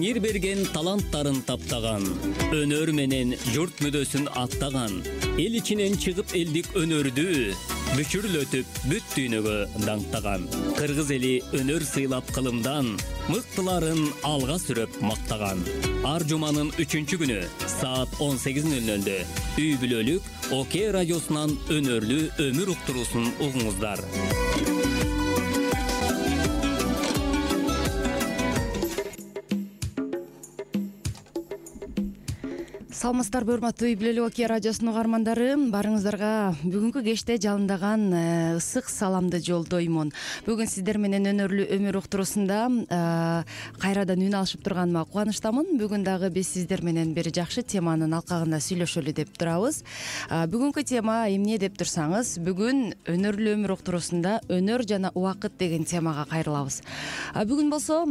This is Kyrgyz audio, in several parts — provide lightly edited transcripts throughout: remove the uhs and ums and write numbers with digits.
Теңир берген таланттарын таптаган, өнөр менен журт мүдөсүн аттаган, эл ичинен чыгып элдик өнөрдү бүчүрлөтүп бүт дүйнөгө даңктаган. Кыргыз эли өнөр сыйлап кылымдан, мыктыларын алга сүрөп мактаган. Ар жуманын 3-күнү саат 18:00 үй бүлөлүк ОК радиосунан өнөрлүү өмүр уктуруусун угуңуздар. Саламатсыздарбы, урматтуу үй бүлөлүк ОК радиосунун угармандары. Барыңыздарга бүгүнкү кечте жалындаган ысык саламды жолдоймун. Бүгүн сиздер менен өнөрлүү өмүр уктуруусунда кайрадан үн алышып турганыма кубанычтамын. Бүгүн дагы биз сиздер менен бир жакшы теманын алкагында сүйлөшөлү деп турабыз. Бүгүнкү тема эмне деп турсаңыз, бүгүн өнөрлүү өмүр уктуруусунда өнөр жана убакыт деген темага кайрылабыз. Бүгүн болсо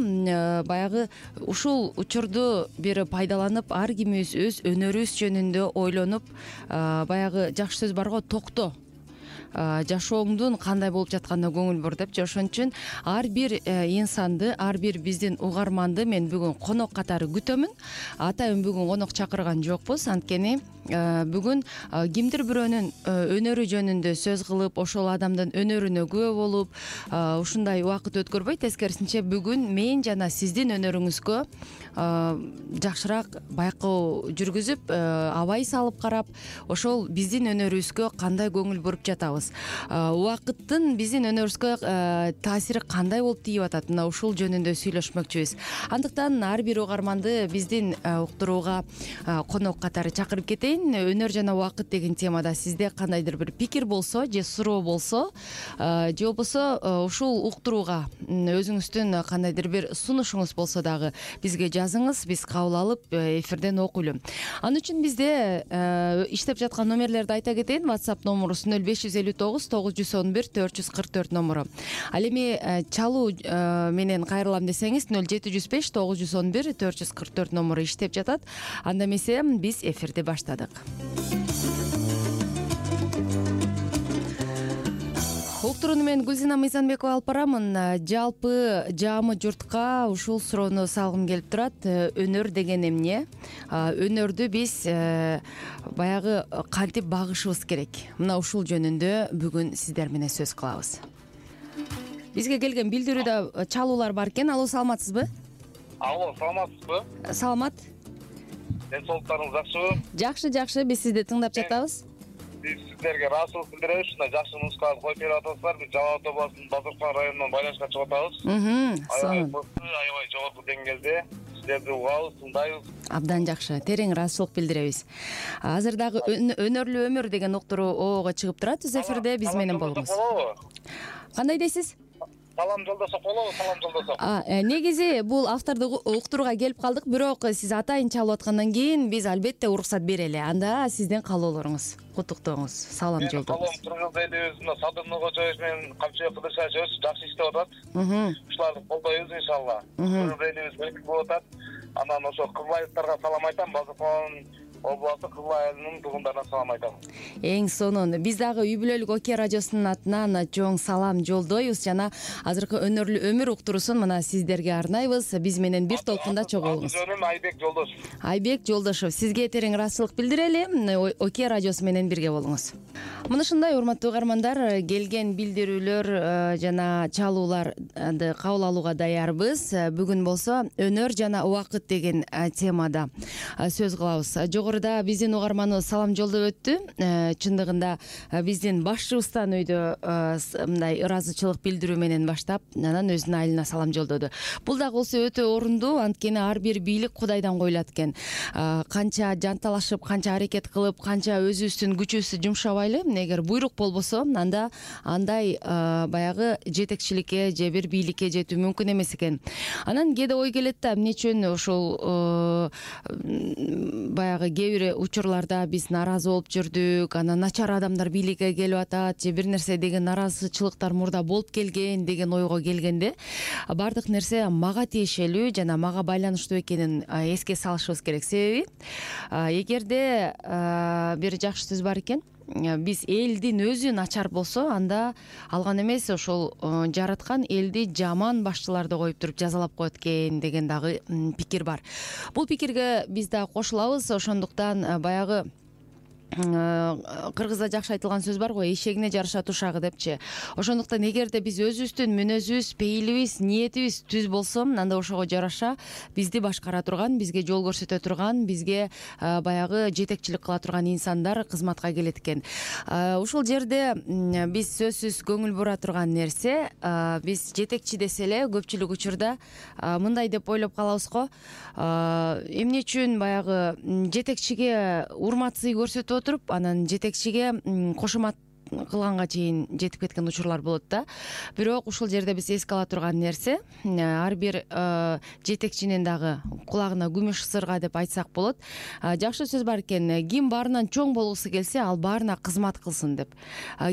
баягы ушул учурду бир пайдаланып, ар кимибиз өз өнөрүбүз жөнүндө ойлонуп, баягы жакшы сөз барго, токто, жашооңдун кандай болуп жатканына көңүл бур депчи. Ошон үчүн ар бир инсанды, ар бир биздин угарманды мен бүгүн конок катары күтөмүн. Атайын бүгүн конок чакырган жокпуз, анткени бүгүн кимдир бирөөнүн өнөрү жөнүндө сөз кылып, ошол адамдын өнөрүнө күбө болуп, ушундай убакыт өткөрбөй, тескерисинче бүгүн мен жана сиздин өнөрүңүзгө жакшыраак байкоо жүргүзүп, абай салып карап, ошол биздин өнөрүбүзгө кандай көңүл буруп жатабыз, убакыттын биздин өнөрүбүзгө таасири кандай болуп тийип атат, мына ушул жөнүндө сүйлөшмөкчүбүз. Андыктан ар бир угарманды биздин уктурууга конок катары чакырып кетейин. Өнөр жана убакыт деген темада сизде кандайдыр бир пикир болсо же суроо болсо, же болбосо ушул уктурууга өзүңүздүн кандайдыр бир сунушуңуз болсо дагы бизге жазыңыз, биз кабыл алып эфирден окуйлу. Ал үчүн бизде иштеп жаткан номерлерди айта кетейин. WhatsApp номурубуз 0559 911 444 номуру. Ал эми чалуу менен кайрылам десеңиз 0705 911 444 номуру иштеп жатат. Анда эмесе биз эфирди баштадык. Уктурууну мен Гүлзина Мыйзамбекова алып барамын. Жалпы жаамы журтка ушул суроону салгым келип турат. Өнөр деген эмне? Өнөрдү биз баягы кантип багышыбыз керек? Мына ушул жөнүндө бүгүн сиздер менен сөз кылабыз. Бизге келген билдирүүдө чалуулар бар экен. Алло, саламатсызбы? Алло, саламатсызбы? Саламат. Денсаулыктарыңыз жакшыбы? Жакшы, биз сизди тыңдап жатабыз. Биз сиздерге ыраазычылык билдиребиз. Ушундай жакшы музыкаларды коюп берип атасыздар. Биз Жалал Абад областынын Базаркан районунан байланышка чыгып атабыз. Аябай жогорку деңгээлде сиздерди угабыз, тыңдайбыз. Абдан жакшы, терең ыраазычылык билдиребиз. Азыр дагы өнөрлүү өмүр деген уктуруого чыгып турат өз эфирде, биз менен болуңуз. Кандай дейсиз? Салам жолдосок болобу, салам жолдосок. Негизи бул автордук уктурууга келип калдык, бирок сиз атайын чалып аткандан кийин биз албетте уруксат берели. Анда сиздин каалоолоруңуз, куттуктооңуз. Салам жолдоңуз. Каалоом Кыргыз элибиз мына Садыр Нуркожоев менен Камчыбек Кыдыршаевич жакшы иштеп атат. Ушуларды колдойбуз иншалла. Кыргыз элибиз өйүк болуп атат. Анан ошо кызлайыктарга салам айтам, Базаркан областы Кызылай айылынын туугандарына салам айтам. Эң сонун. Биз дагы үй бүлөлүк ОК радиосунун атынан чоң салам жолдойбуз жана азыркы өнөрлүү өмүр уктуруусун мына сиздерге арнайбыз. Биз менен бир толкунда чогулуңуз. Жөнүм Айбек Жолдошев. Айбек Жолдошев, сизге терең ыраазычылык билдирели. ОК радиосу менен бирге болуңуз. Мына ушундай урматтуу угармандар, келген билдирүүлөр жана чалууларды кабыл алууга даярбыз. Бүгүн болсо өнөр жана убакыт деген темада сөз кылабыз. Жогоруда биздин угарманыбыз салам жолдоп өттү. Чындыгында биздин башчыбыздан үйдө мындай ыраазычылык билдирүү менен баштап, анан өзүнүн айылына салам жолдоду. Бул да болсо өтө орундуу, анткени ар бир бийлик Кудайдан коюлат экен. Канча жанталашып, канча аракет кылып, канча өзүбүздүн күчүбүздү жумшабайлы, эгер буйрук болбосо, анда андай баягы жетекчиликке же бир бийликке жетүү мүмкүн эмес экен. Анан кээде ой келет да, эмне үчүн ошол баягы кээ бир учурларда биз нааразы болуп жүрдүк, анан начар адамдар бийликке келип атат, же бир нерсе деген нааразычылыктар мурда болуп келген деген ойго келгенде, бардык нерсе мага тиешелүү жана мага байланыштуу экенин эске салышыбыз керек. Себеби эгерде бир жакшы сөз бар экен, биз элдин өзү начар болсо, анда алган эмес ошол жараткан элди жаман башчыларды коюп туруп жазалап коет экен деген дагы пикир бар. Бул пикирге биз да кошулабыз. Ошондуктан баягы кыргызда жакшы айтылган сөз бар го, эшегине жараша тушагы депчи. Ошондуктан эгерде биз өзүбүздүн мүнөзүбүз, пейилибиз, ниетибиз түз болсо, анда ошого жараша бизди башкара турган, бизге жол көрсөтө турган, бизге баягы жетекчилик кыла турган инсандар кызматка келет экен. Ушул жерде биз сөзсүз көңүл бура турган нерсе, биз жетекчи десе эле көпчүлүк учурда мындай деп ойлоп калабыз го, эмне үчүн баягы жетекчиге урмат-сый көрсөтүп отуруп, анан жетекчиге кошумат кылганга чейин жетип кеткен учурлар болот да. Бирок ушул жерде биз эске ала турган нерсе, ар бир жетекчинин дагы кулагына күмүш сырга деп айтсак болот. Жакшы сөз бар экен, ким баарынан чоң болгусу келсе, ал баарына кызмат кылсын деп.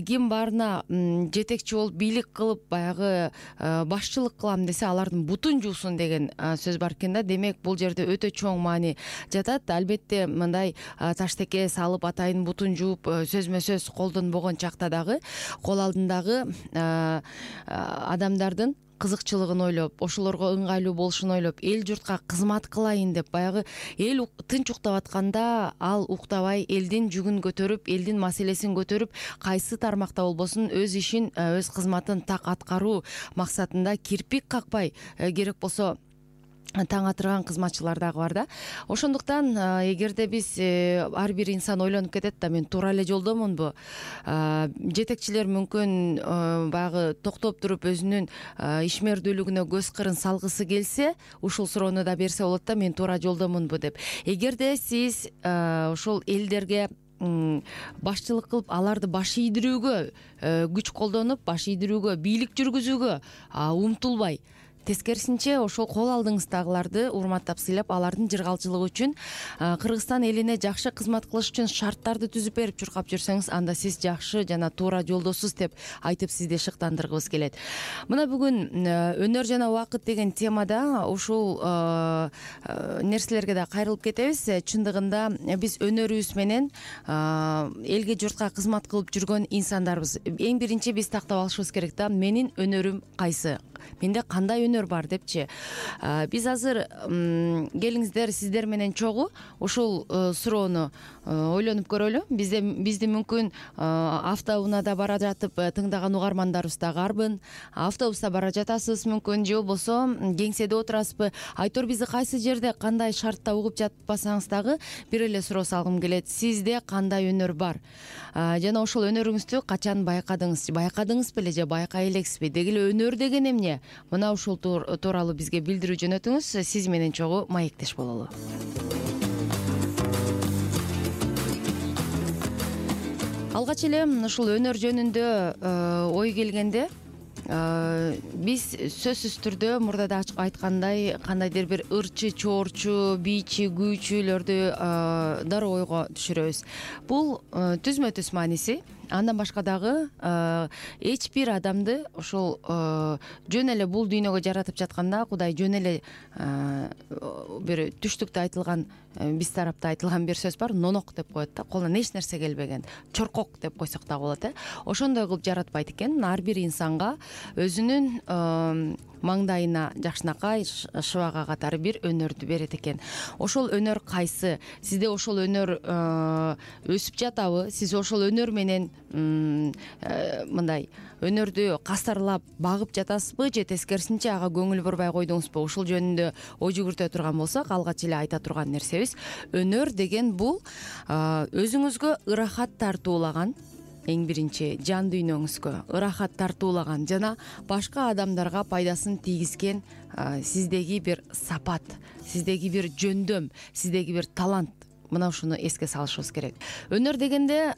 Ким баарына жетекчи болуп, бийлик кылып, баягы башчылык кылам десе, алардын бутун жуусун деген сөз бар экен да. Демек, бул жерде өтө чоң маани жатат. Албетте, мындай таштеке салып, атайын бутун жууп, сөзмө сөз колдонбогон чакта дагы кол алдындагы адамдардын кызыкчылыгын ойлоп, ошолорго ыңгайлуу болушун ойлоп, эл журтка кызмат кылайын деп, баягы эл тынч уктап атканда ал уктабай элдин жүгүн көтөрүп, элдин маселесин көтөрүп, кайсы тармакта болбосун өз ишин, өз кызматын так аткаруу максатында кирпик какпай, керек болсо таң атырган кызматчылар дагы бар да. Ошондуктан эгерде биз ар бир инсан ойлонуп кетет да, мен туура эле жолдомунбу? Жетекчилер мүмкүн баягы токтоп туруп өзүнүн ишмердүүлүгүнө көз кырын салгысы келсе, ушул суроону да берсе болот да, мен туура жолдомунбу деп. Эгерде сиз ошол элдерге башчылык кылып, аларды баш ийдирүүгө күч колдонуп, баш ийдирүүгө, бийлик жүргүзүүгө умтулбай, тескерисинче ошол кол алдыңыздагыларды урматтап сыйлап, алардын жыргалчылыгы үчүн, Кыргызстан элине жакшы кызмат кылыш үчүн шарттарды түзүп берип чуркап жүрсөңүз, анда сиз жакшы жана туура жолдосуз деп айтып сизди шыктандыргыбыз келет. Мына бүгүн өнөр жана убакыт деген темада ушул нерселерге да кайрылып кетебиз. Чындыгында биз өнөрүбүз менен элге журтка кызмат кылып жүргөн инсандарбыз. Эң биринчи биз тактап алышыбыз керек да, менин өнөрүм кайсы? Менде кандай өнөр бар депчи. Биз азыр келиңиздер, сиздер менен чогуу ушул суроону ойлонуп көрөлү. Бизди мүмкүн автоунаада бара жатып тыңдаган угармандарыбыз да карбын. Автобуста бара жатасыз мүмкүн, же болбосо кеңседе отурасызбы? Айтор бизди кайсы жерде, кандай шартта угуп жатпасаңыз дагы бир эле суроо салгым келет. Сизде кандай өнөр бар? Жана ошол өнөрүңүздү качан байкадыңыз? Байкадыңыз беле же байкай элексизби? Деги эле өнөр деген эмне? Мына ушул тууралуу бизге билдирүү жөнөтүңүз. Сиз менен чогуу маектеш бололу. Алгач эле ушул өнөр жөнүндө ой келгенде, биз сөзсүз түрдө мурда да айткандай, кандайдыр бир ырчы, чоорчу, бийчи, күүчүлөрдү дароо ойго түшүрөбүз. Бул түзмө түз мааниси. Андан башка дагы эч бир адамды ошол жөн эле бул дүйнөгө жаратып жатканда, Кудай жөн эле бир түштүктө айтылган, биз тарапта айтылган бир сөз бар, нонок деп коет да, колуна эч нерсе келбеген, чоркок деп койсок дагы болот. Ошондой кылып жаратпайт экен. Ар бир инсанга өзүнүн маңдайына жакшынакай шыбага катары бир өнөрдү берет экен. Ошол өнөр кайсы? Сизде ошол өнөр өсүп жатабы? Сиз ошол өнөр менен мындай өнөрдү кастарлап багып жатасызбы, же тескерисинче ага көңүл бурбай койдуңузбу? Ушул жөнүндө ой жүгүртө турган болсок, алгач эле айта турган нерсебиз, өнөр деген бул өзүңүзгө ырахат тартуулаган, эң биринчи жан дүйнөңүзгө ырахат тартуулаган жана башка адамдарга пайдасын тийгизген сиздеги бир сапат, сиздеги бир жөндөм, сиздеги бир талант. Мына ушуну эске салышыбыз керек. Өнөр дегенде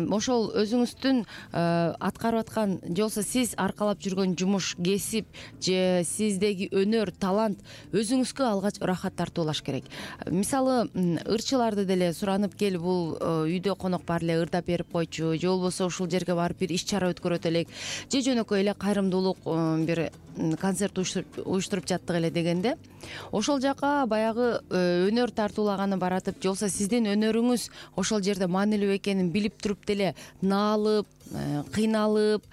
ошол өзүңүздүн аткарып аткан, же болбосо сиз аркалап жүргөн жумуш, кесип, же сиздеги өнөр, талант өзүңүзгө алгач ырахат тартуулаш керек. Мисалы, ырчыларды деле суранып кел, бул үйдө конок бар эле, ырдап берип койчу, же болбосо ушул жерге барып бир иш чара өткөрөт элек, же жөнөкөй эле кайрымдуулук бир концерт уюштуруп жаттык эле дегенде ошол жака баягы өнөр тартуулаганы баратып же болбосо сиздин өнөрүңүз ошол жерде маанилүү экенин билип туруп деле наалып, кыйналып,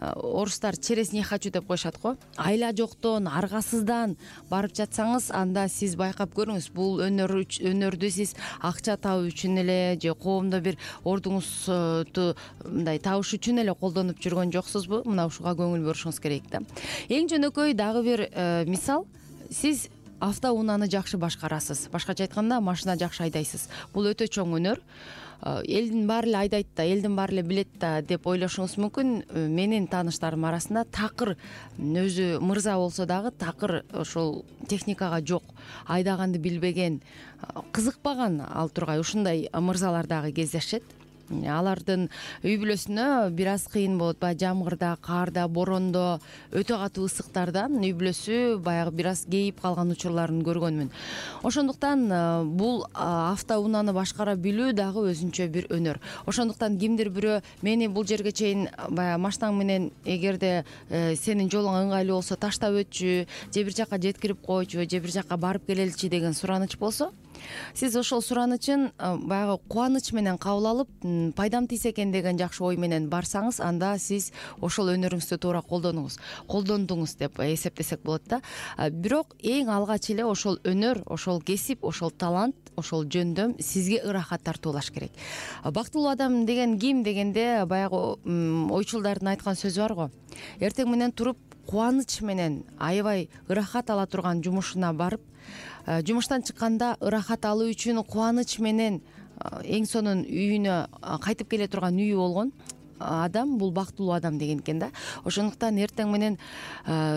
орустар через не хочу деп коюшат го, айла жоктон, аргасыздан барып жатсаңыз, анда сиз байкап көрүңүз, бул өнөрдү сиз акча табуу үчүн эле же коомдо бир ордуңузду мындай табыш үчүн эле колдонуп жүргөн жоксузбу? Мына ушуга көңүл бурушуңуз керек да. Эң жөнөкөй дагы бир мисал, сиз автоунааны жакшы башкарасыз, башкача айтканда машина жакшы айдайсыз. Бул өтө чоң өнөр. Элдин баары эле айдайт да, элдин баары эле билет да деп ойлошуңуз мүмкүн. Менин тааныштарым арасында такыр өзү мырза болсо дагы такыр ошол техникага жок, айдаганды билбеген, кызыкпаган ал тургай ушундай мырзалар дагы кездешет. Алардын үй бүлөсүнө бир аз кыйын болот, баягы жамгырда, каарда, борондо, өтө катуу ысыктардан үй бүлөсү баягы бир аз кейип калган учурларын көргөнмүн. Ошондуктан бул автоунааны башкара билүү дагы өзүнчө бир өнөр. Ошондуктан кимдир бирөө мени бул жерге чейин баягы машинаң менен эгерде сенин жолуң ыңгайлуу болсо таштап өтчү, же бир жака жеткирип койчу, же бир жака барып келеличи деген сураныч болсо, сиз ошол суранычын баягы кубаныч менен кабыл алып, пайдам тийсе экен деген жакшы ой менен барсаңыз, анда сиз ошол өнөрүңүздү туура колдондуңуз деп эсептесек болот да. Бирок эң алгач эле ошол өнөр, ошол кесип, ошол талант, ошол жөндөм сизге ырахат тартуулаш керек. Бактылуу адам деген ким дегенде, баягы ойчулдардын айткан сөзү бар го. Эртең менен туруп кубаныч менен аябай ырахат ала турган жумушуна барып, жумуштан чыкканда ырахат алуу үчүн кубаныч менен эң сонун үйүнө кайтып келе турган үйү болгон адам, бул бактылуу адам деген экен да. Ошондуктан эртең менен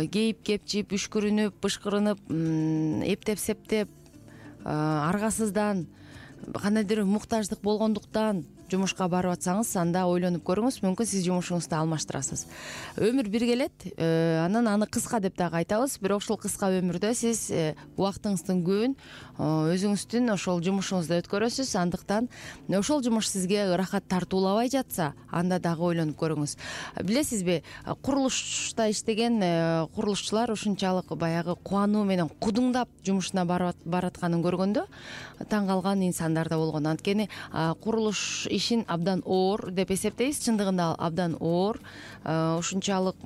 кейип кепчип, үшкүрүнүп, бышкырынып, эптеп-септеп, аргасыздан, кандайдыр муктаждык болгондуктан жумушка барып атсаңыз, анда ойлонуп көрүңүз, мүмкүн сиз жумушуңузду алмаштырасыз. Өмүр бир келет, анан аны кыска деп дагы айтабыз, бирок ушул кыска өмүрдө сиз убактыңыздын көбүн өзүңүздүн ошол жумушуңузда өткөрөсүз. Андыктан ошол жумуш сизге ырахат тартуулабай жатса, анда дагы ойлонуп көрүңүз. Билесизби, курулушта иштеген курулушчулар ушунчалык баягы кубануу менен кудуңдап жумушуна баратканын көргөндө таң калган инсандар да болгон. Анткени курулуш ишин абдан оор деп эсептейбиз. Чындыгында ал абдан оор. Ушунчалык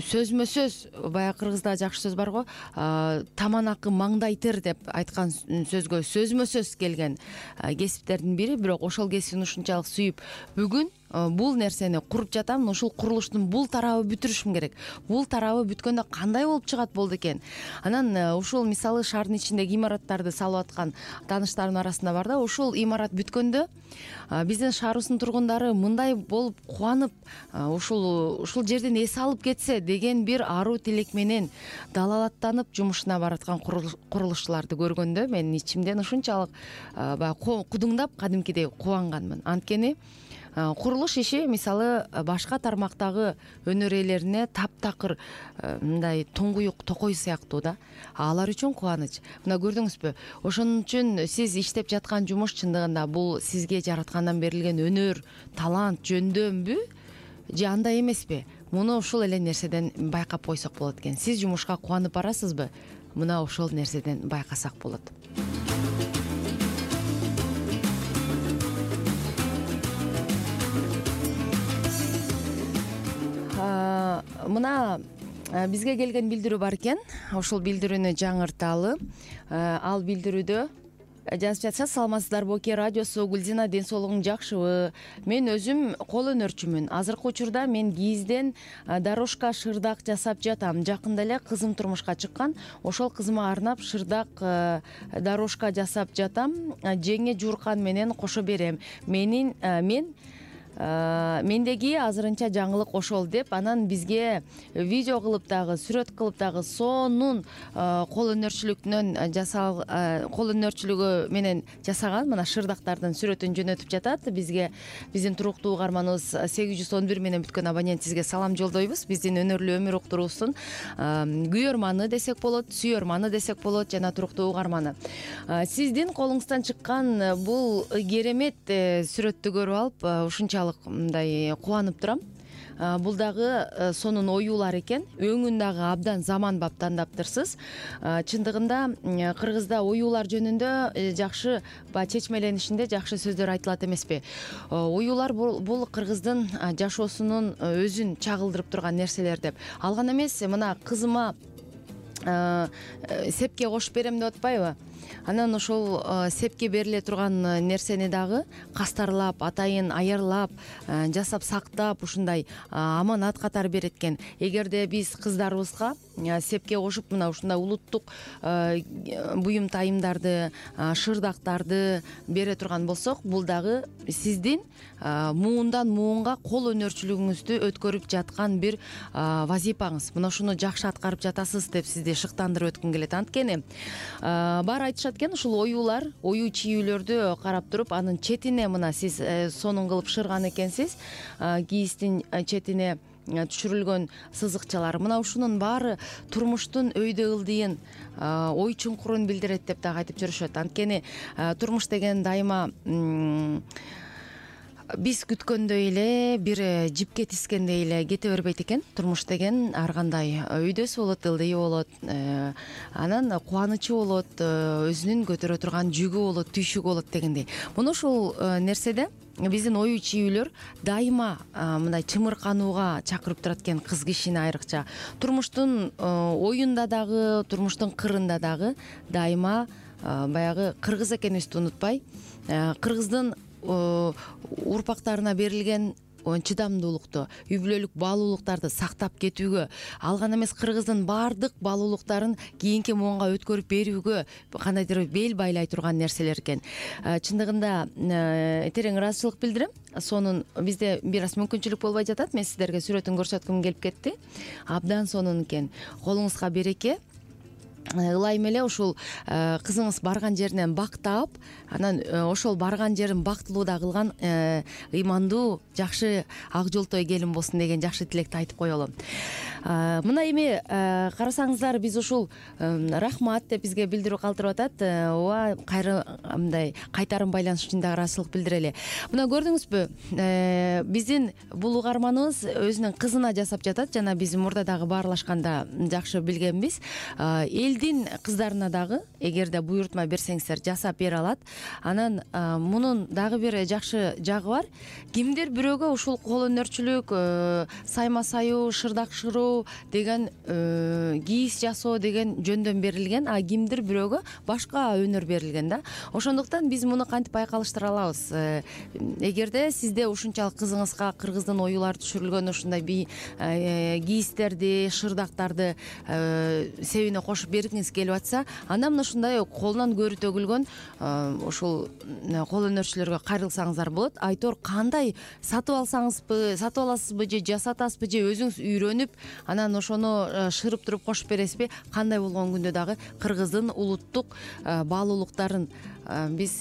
сөзмө сөз, баягы кыргызда жакшы сөз бар го, таманакы маңдайтыр деп айткан сөзгө сөзмө сөз келген кесиптердин бири. Бирок ошол кесибин ушунчалык сүйүп, бүгүн бул нерсени куруп жатам, ушул курулуштун бул тарабы бүтүрүшүм керек. Бул тарабы бүткөндө кандай болуп чыгат болду экен. Анан ушул мисалы шаардын ичиндеги имараттарды салып аткан тааныштарымдын арасында бар да, ушул имарат бүткөндө биздин шаарыбыздын тургундары мындай болуп кубанып, ушул жерден эс алып кетсе деген бир аруу тилек менен далалаттанып жумушуна бараткан курулушчуларды көргөндө менин ичимден ушунчалык баягы кудуңдап кадимкидей кубанганмын. Анткени курулуш иши мисалы башка тармактагы өнөр ээлерине таптакыр мындай туңгуюк токой сыяктуу да. Алар үчүн кубаныч. Мына көрдүңүзбү? Ошон үчүн сиз иштеп жаткан жумуш чындыгында бул сизге жараткандан берилген өнөр, талант, жөндөмбү же андай эмеспи? Муну ушул эле нерседен байкап койсок болот экен. Сиз жумушка кубанып барасызбы? Мына ошол нерседен байкасак болот. Мына бизге келген билдирүү бар экен. Ошол билдирүүнү жаңырталы. Ал билдирүүдө жазып жатса: саламатсыздарбы, Оке радиосу, Гүлзина, ден соолугуң жакшыбы? Мен өзүм кол өнөрчүмүн. Азыркы учурда мен кийизден дорожка, шырдак жасап жатам. Жакында эле кызым турмушка чыккан. Ошол кызыма арнап шырдак, дорожка жасап жатам. Жеңе жууркан менен кошо берем. Мендеги азырынча жаңылык ошол деп, анан бизге видео кылып дагы, сүрөт кылып дагы сонун кол өнөрчүлүгү менен жасаган мына шырдактардын сүрөтүн жөнөтүп жатат бизге. Биздин туруктуу угарманыбыз 811 менен бүткөн абонент сизге салам жолдойбуз. Биздин өнөрлүү өмүр уктуруусун күйөрманы десек болот, сүйөрманы десек болот, жана туруктуу угарманы. Сиздин колуңуздан чыккан бул керемет сүрөттү көрүп алып ушунчалык мындай кубанып турам. бул дагы сонун оюулар экен. Өңүн дагы абдан заманбап тандаптырсыз. Чындыгында кыргызда оюулар жөнүндө жакшы баягы чечмеленишинде жакшы сөздөр айтылат эмеспи? Оюулар бул кыргыздын жашоосунун өзүн чагылдырып турган нерселер деп. Ал гана эмес, мына кызыма сепке кошуп берем деп атпайбы? Анан ошол сепке бериле турган нерсени дагы кастарлап, атайын аярлап, жасап сактап, ушундай аманат катары берет экен. Эгерде биз кыздарыбызга сепке кошуп мына ушундай улуттук буюм тайымдарды, шырдактарды бере турган болсок, бул дагы сиздин муундан муунга кол өнөрчүлүгүңүздү өткөрүп жаткан бир вазипаңыз. Мына ушуну жакшы аткарып жатасыз деп сизди шыктандырып өткүм келет. Анткени баары айтышат экен, ушул оюулар, ою чийүүлөрдү карап туруп, анын четине мына сиз сонун кылып шырган экенсиз, кийиздин четине түшүрүлгөн сызыкчалар. Мына ушунун баары турмуштун өйдө ылдыйын, ой чуңкурун билдирет деп дагы айтып жүрүшөт. Анткени турмуш деген дайыма биз күткөндөй эле, бир жипке тискендей эле кете бербейт экен. Турмуш деген ар кандай өйдөсү болот, ылдыйы болот, анан кубанычы болот, өзүнүн көтөрө турган жүгү болот, түйшүгү болот дегендей. Муну ушул нерседе биздин ою чийүүлөр дайыма мындай чымырканууга чакырып турат экен кыз кишини айрыкча. Турмуштун оюнда дагы, турмуштун кырында дагы дайыма баягы кыргыз экенибизди унутпай, кыргыздын урпактарына берилген чыдамдуулукту, үй бүлөлүк баалуулуктарды сактап кетүүгө, ал гана эмес кыргыздын баардык баалуулуктарын кийинки муунга өткөрүп берүүгө кандайдыр бел байлай турган нерселер экен. Чындыгында терең ыраазычылык билдирем. Сонун бизде бир аз мүмкүнчүлүк болбой жатат. Мен сиздерге сүрөтүн көрсөткүм келип кетти. Абдан сонун экен. Колуңузга береке. Ылайым эле ушул кызыңыз барган жеринен бактап, анан ошол барган жерин бактылууда кылган ыймандуу, жакшы ак жолтой келин болсун деген жакшы тилекти айтып коелу. Мына эми карасаңыздар, биз ушул рахмат деп бизге билдирүү калтырып атат. Ооба, кайра мындай кайтарым байланыш үчүн да ыраазычылык билдирели. Мына көрдүңүзбү, биздин бул угарманыбыз өзүнүн кызына жасап жатат. Жана биз мурда дагы баарлашканда жакшы билгенбиз. Элдин кыздарына дагы, эгерде буйрутма берсеңиздер, жасап бере алат. Анан мунун дагы бир жакшы жагы бар. Кимдир бирөөгө ушул кол өнөрчүлүк, сайма саюу, шырдак шыруу деген, кийиз жасоо деген жөндөн берилген, а кимдир бирөөгө башка өнөр берилген да. Ошондуктан биз муну кантип байкалыштыра алабыз? Эгерде сизде ушунчалык кызыңызга кыргыздын оюулары түшүрүлгөн ушундай кийиздерди, шырдактарды себине кошуп бергиңиз келип атса, анда мына ушундай колунан көрү төгүлгөн ушул кол өнөрчүлөргө кайрылсаңыздар болот. Айтор кандай сатып аласызбы же жасатасызбы же өзүңүз үйрөнүп, анан ошону шырып туруп кошуп бересизби? Кандай болгон күндө дагы кыргыздын улуттук баалуулуктарын биз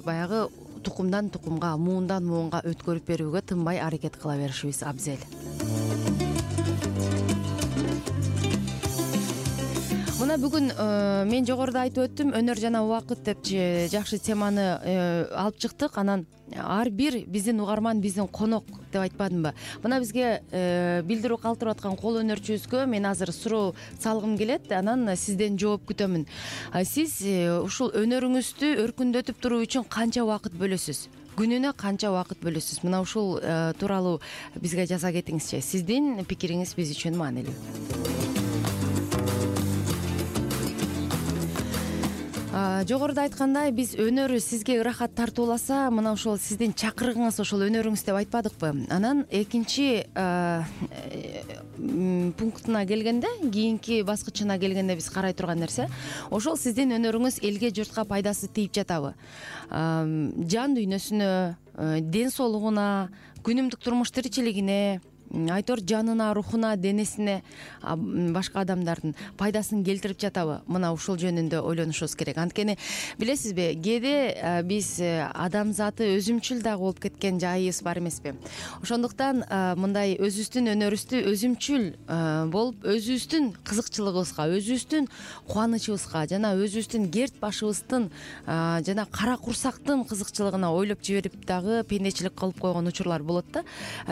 баягы тукумдан тукумга, муундан муунга өткөрүп берүүгө тынбай аракет кыла беришибиз абзел. Мына бүгүн мен жогоруда айтып өттүм, өнөр жана убакыт деп жакшы теманы алып чыктык. Анан ар бир биздин угарман биздин конок деп айтпадымбы? Мына бизге билдирүү калтырып аткан кол өнөрчүбүзгө мен азыр суроо салгым келет, анан сизден жооп күтөмүн. Сиз ушул өнөрүңүздү өркүндөтүп туруу үчүн канча убакыт бөлөсүз? Күнүнө канча убакыт бөлөсүз? Мына ушул тууралуу бизге жаза кетиңизчи. Сиздин пикириңиз биз үчүн маанилүү. Жогоруда айткандай, биз өнөрү сизге ырахат тартууласа, мына ошол сиздин чакырыгыңыз, ошол өнөрүңүз деп айтпадыкпы? Анан экинчи пунктуна келгенде, кийинки баскычына келгенде биз карай турган нерсе, ошол сиздин өнөрүңүз элге, журтка пайдасы тийип жатабы? Жан дүйнөсүнө, ден соолугуна, күнүмдүк турмуш тиричилигине, айтор жанына, рухуна, денесине башка адамдардын пайдасын келтирип жатабы? Мына ушул жөнүндө ойлонушубуз керек. Анткени билесизби, кээде биз адамзаты өзүмчүл дагы болуп кеткен жайыбыз бар эмеспи? Ошондуктан мындай өзүбүздүн өнөрүбүздү өзүмчүл болуп, өзүбүздүн кызыкчылыгыбызга, өзүбүздүн кубанычыбызга жана өзүбүздүн керт башыбыздын жана кара курсактын кызыкчылыгына ойлоп жиберип дагы пендечилик кылып койгон учурлар болот да.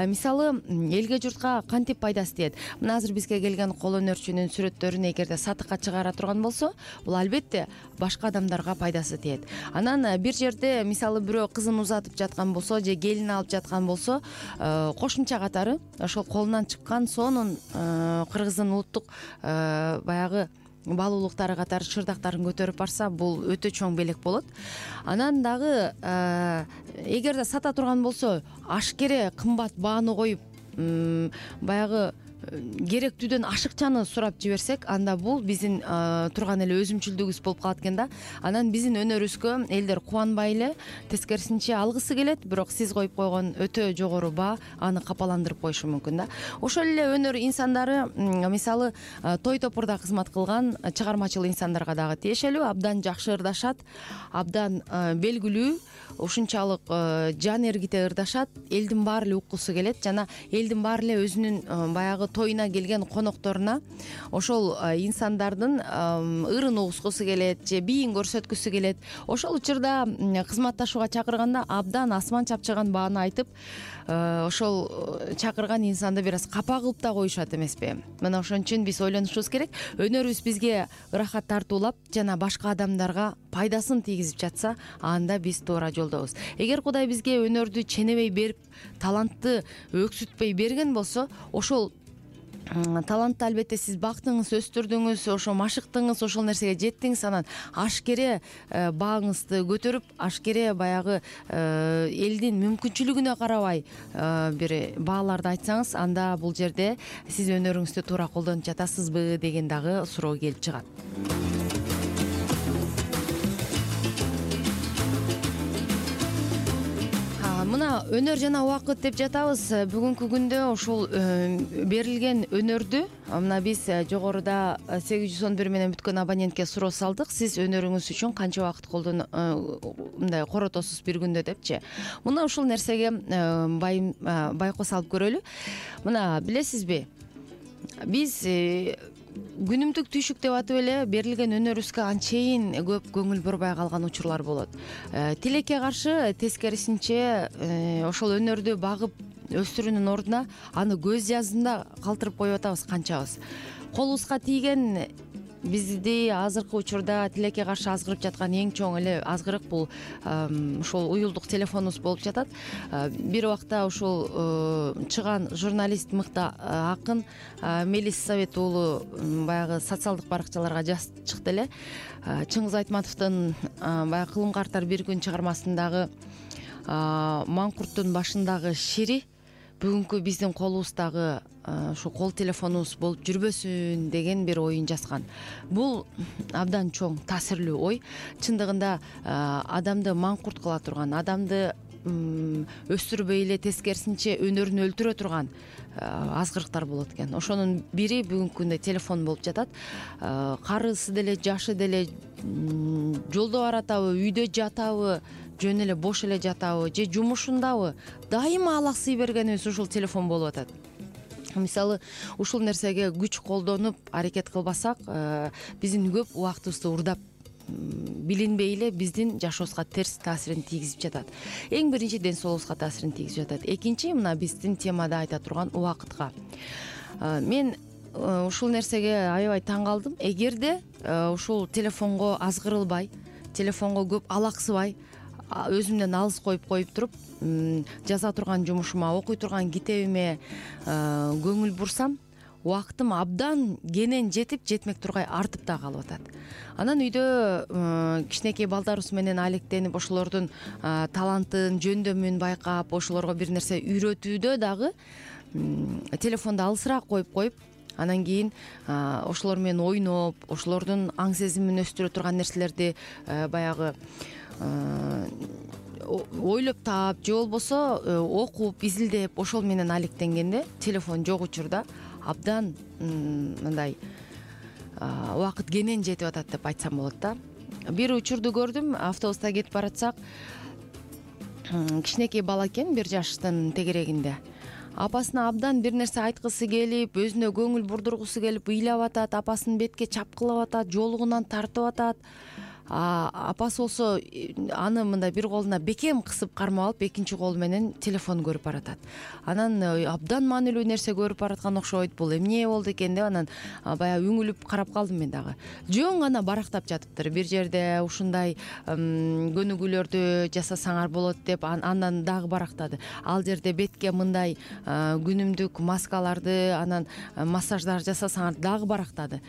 Мисалы, элге элге журтка кантип пайдасы тиет? Мына азыр бизге келген кол өнөрчүнүн сүрөттөрүн эгерде сатыкка чыгара турган болсо, бул албетте башка адамдарга пайдасы тиет. Анан бир жерде мисалы бирөө кызын узатып жаткан болсо же келин алып жаткан болсо, кошумча катары ошол колунан чыккан сонун кыргыздын улуттук баягы баалуулуктары катары чырдактарын көтөрүп барса, бул өтө чоң белек болот. Анан дагы эгерде сата турган болсо, ашкере кымбат бааны коюп, баягы керектүүдөн ашыкчаны сурап жиберсек, анда бул биздин турган эле өзүмчүлдүгүбүз болуп калат экен да. Анан биздин өнөрүбүзгө элдер кубанбай эле, тескерисинче алгысы келет, бирок сиз коюп койгон өтө жогору баа аны капаландырып коюшу мүмкүн да. Ошол эле өнөр инсандары, мисалы той топурда кызмат кылган чыгармачыл инсандарга дагы тиешелүү, абдан жакшы ырдашат, абдан белгилүү, ушунчалык жан эргите ырдашат, элдин баары эле уккусу келет жана элдин баары эле өзүнүн баягы тоюна келген конокторуна ошол инсандардын ырын угускусу келет же бийин көрсөткүсү келет. Ошол учурда кызматташууга чакырганда абдан асман чапчыган бааны айтып, ошол чакырган инсанды бир аз капа кылып да коюшат эмеспи? Мына ошон үчүн биз ойлонушубуз керек. Өнөрүбүз бизге ырахат тартуулап жана башка адамдарга пайдасын тийгизип жатса, анда биз туура жолдобуз. Эгер Кудай бизге өнөрдү ченебей берип, талантты өксүтпөй берген болсо, ошол талантты албетте сиз бактыңыз, өстүрдүңүз, ошо машыктыңыз, ошол нерсеге жеттиңиз, анан ашкере бааңызды көтөрүп, ашкере баягы элдин мүмкүнчүлүгүнө карабай бир бааларды айтсаңыз, анда бул жерде сиз өнөрүңүздү туура колдонуп жатасызбы деген дагы суроо келип чыгат. Мына өнөр жана убакыт деп жатабыз. Бүгүнкү күндө ушул берилген өнөрдү мына биз жогоруда 811 менен бүткөн абонентке суроо салдык. Сиз өнөрүңүз үчүн канча убакыт мындай коротосуз бир күндө депчи. Мына ушул нерсеге байкоо салып көрөлү. Мына билесизби, биз күнүмдүк түйшүк деп атып эле берилген өнөрүбүзгө анчейин көп көңүл бурбай калган учурлар болот. Тилекке каршы тескерисинче ошол өнөрдү багып өстүрүүнүн ордуна аны көз жазында калтырып коюп атабыз канчабыз. Колубузга тийген бизди азыркы учурда тилекке каршы азгырып жаткан эң чоң эле азгырык бул ушул уюлдук телефонубуз болуп жатат. Бир убакта ушул чыган журналист, мыкты акын Мелис Совет уулу баягы социалдык баракчаларга жазып чыкты эле. Чыңгыз Айтматовдун баягы Кылым картар бир күн чыгармасындагы маңкурттун башындагы шири бүгүнкү биздин колубуздагы ушу кол телефонубуз болуп жүрбөсүн деген бир оюн жазган. Бул абдан чоң таасирлүү ой. Чындыгында адамды маңкурт кыла турган, адамды өстүрбөй эле тескерисинче өнөрүн өлтүрө турган азгырыктар болот экен. Ошонун бири бүгүнкү күндө телефон болуп жатат. Карысы деле, жашы деле жолдо баратабы, үйдө жатабы, жөн эле бош эле жатабы же жумушундабы, дайыма алаксый бергенибиз ушул телефон болуп атат. Мисалы, ушул нерсеге күч колдонуп аракет кылбасак, биздин көп убактыбызды урдап, билинбей эле биздин жашообузга терс таасирин тийгизип жатат. Эң биринчи ден соолугубузга таасирин тийгизип жатат. Экинчи, мына биздин темада айта турган убакытка. Мен ушул нерсеге аябай таң калдым. Эгерде ушул телефонго азгырылбай, телефонго көп алаксыбай, өзүмдөн алыс коюп туруп, жаза турган жумушума, окуй турган китебиме көңүл бурсам, убактым абдан кенен жетип, жетмек тургай артып да калып атат. Анан үйдө кичинекей балдарыбыз менен алектенип, ошолордун талантын, жөндөмүн байкап, ошолорго бир нерсе үйрөтүүдө дагы телефонду алысыраак коюп, анан кийин ошолор менен ойноп, ошолордун аң сезимин өстүрө турган нерселерди баягы ойлоп таап же болбосо окуп, изилдеп, ошол менен алектенгенде телефон жок учурда абдан мындай убакыт кенен жетип атат деп айтсам болот да. Бир учурду көрдүм, автобуста кетип баратсак, кичинекей бала экен, 1 жаштын тегерегинде. Апасына абдан бир нерсе айткысы келип, өзүнө көңүл бурдургусу келип ыйлап атат, апасын бетке чапкылап атат, жолугунан тартып атат. апасы болсо аны мындай бир колуна бекем кысып кармап алып экинчи колу менен телефон көрүп баратат. Анан абдан маанилүү нерсе көрүп бараткан окшойт, бул эмне болду экен деп анан баягы үңүлүп карап калдым мен дагы. Жоң гана барактап жатыптыр. Бир жерде ушундай көнүгүүлөрдү жасасаңар болот деп андан дагы барактады. Ал жерде бетке мындай күнүмдүк маскаларды, анан массаждар жасасаңар дагы барактады.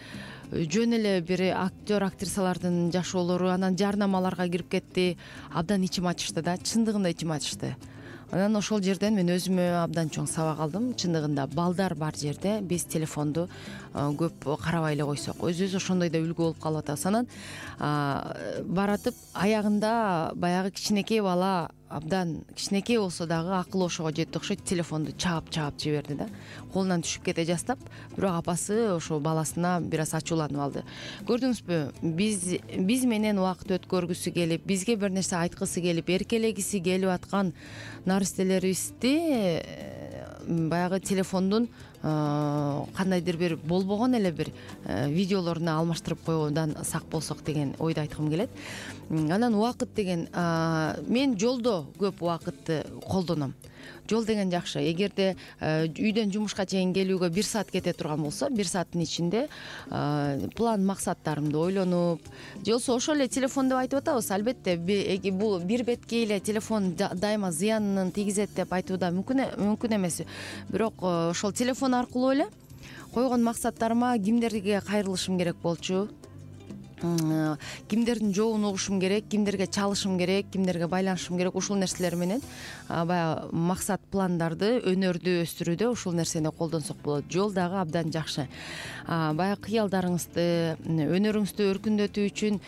Жөн эле бир актер актрисалардын жашоолору, анан жарнамаларга кирип кетти. Абдан ичим ачышты да, чындыгында ичим ачышты. Анан ошол жерден мен өзүмө абдан чоң сабак алдым. Чындыгында балдар бар жерде биз телефонду көп карабай эле койсок, өзүбүз ошондой да үлгү болуп калып атабыз. Анан баратып аягында баягы кичинекей бала, абдан кичинекей болсо дагы акыл ошого жетти окшойт, телефонду чаап жиберди да. Колунан түшүп кете жастап, бирок апасы ошо баласына бир аз ачууланып алды. Көрдүңүзбү, биз менен убакыт өткөргүсү келип, бизге бир нерсе айткысы келип, эркелегиси келип аткан наристелерибизди баягы телефондун кандайдыр бир болбогон эле бир видеолоруна алмаштырып койуудан сак болсок деген ойду айткым келет. Анан убакыт деген, мен жолдо көп убакытты колдоном. Жол деген жакшы. Эгерде үйдөн жумушка чейин келүүгө 1 саат кете турган болсо, 1 сааттын ичинде план максаттарымды ойлонуп, же болбосо ошол эле телефон деп айтып атабыз. Албетте бул бир бетке эле телефон дайыма зыянын тийгизет деп айтуу да мүмкүн эмес. Бирок ошол телефон аркылуу эле койгон максаттарыма кимдерге кайрылышым керек болчу, кимдердин жообун угушум керек, кимдерге чалышым керек, кимдерге байланышым керек, ушул нерселер менен баягы максат пландарды, өнөрдү өстүрүүдө ушул нерсени колдонсок болот. Жол дагы абдан жакшы. Баягы кыялдарыңызды, өнөрүңүздү өркүндөтүү үчүн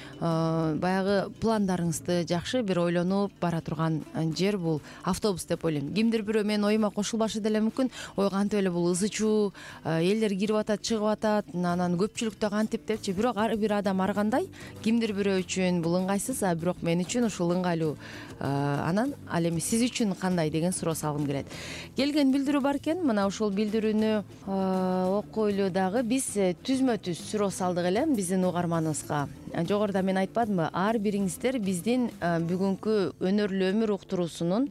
баягы пландарыңызды жакшы бир ойлонуп бара турган жер бул автобус деп ойлойм. Кимдир бирөө менин оюма кошулбашы деле мүмкүн. Ой, кантип эле бул ызы чуу, элдер кирип атат, чыгып атат, анан көпчүлүктө кантип депчи. Бирок ар бир адам кимдир бирөө үчүн бул ыңгайсыз, бирок мен үчүн ушул ыңгайлуу. Анан ал эми сиз үчүн кандай деген суроо салгым келет. Келген билдирүү бар экен. Мына ушул билдирүүнү окуйлу дагы. Биз түзмө түз суроо салдык эле биздин угарманыбызга. Жогоруда мен айтпадымбы, ар бириңиздер биздин бүгүнкү өнөрлүү өмүр уктуруусунун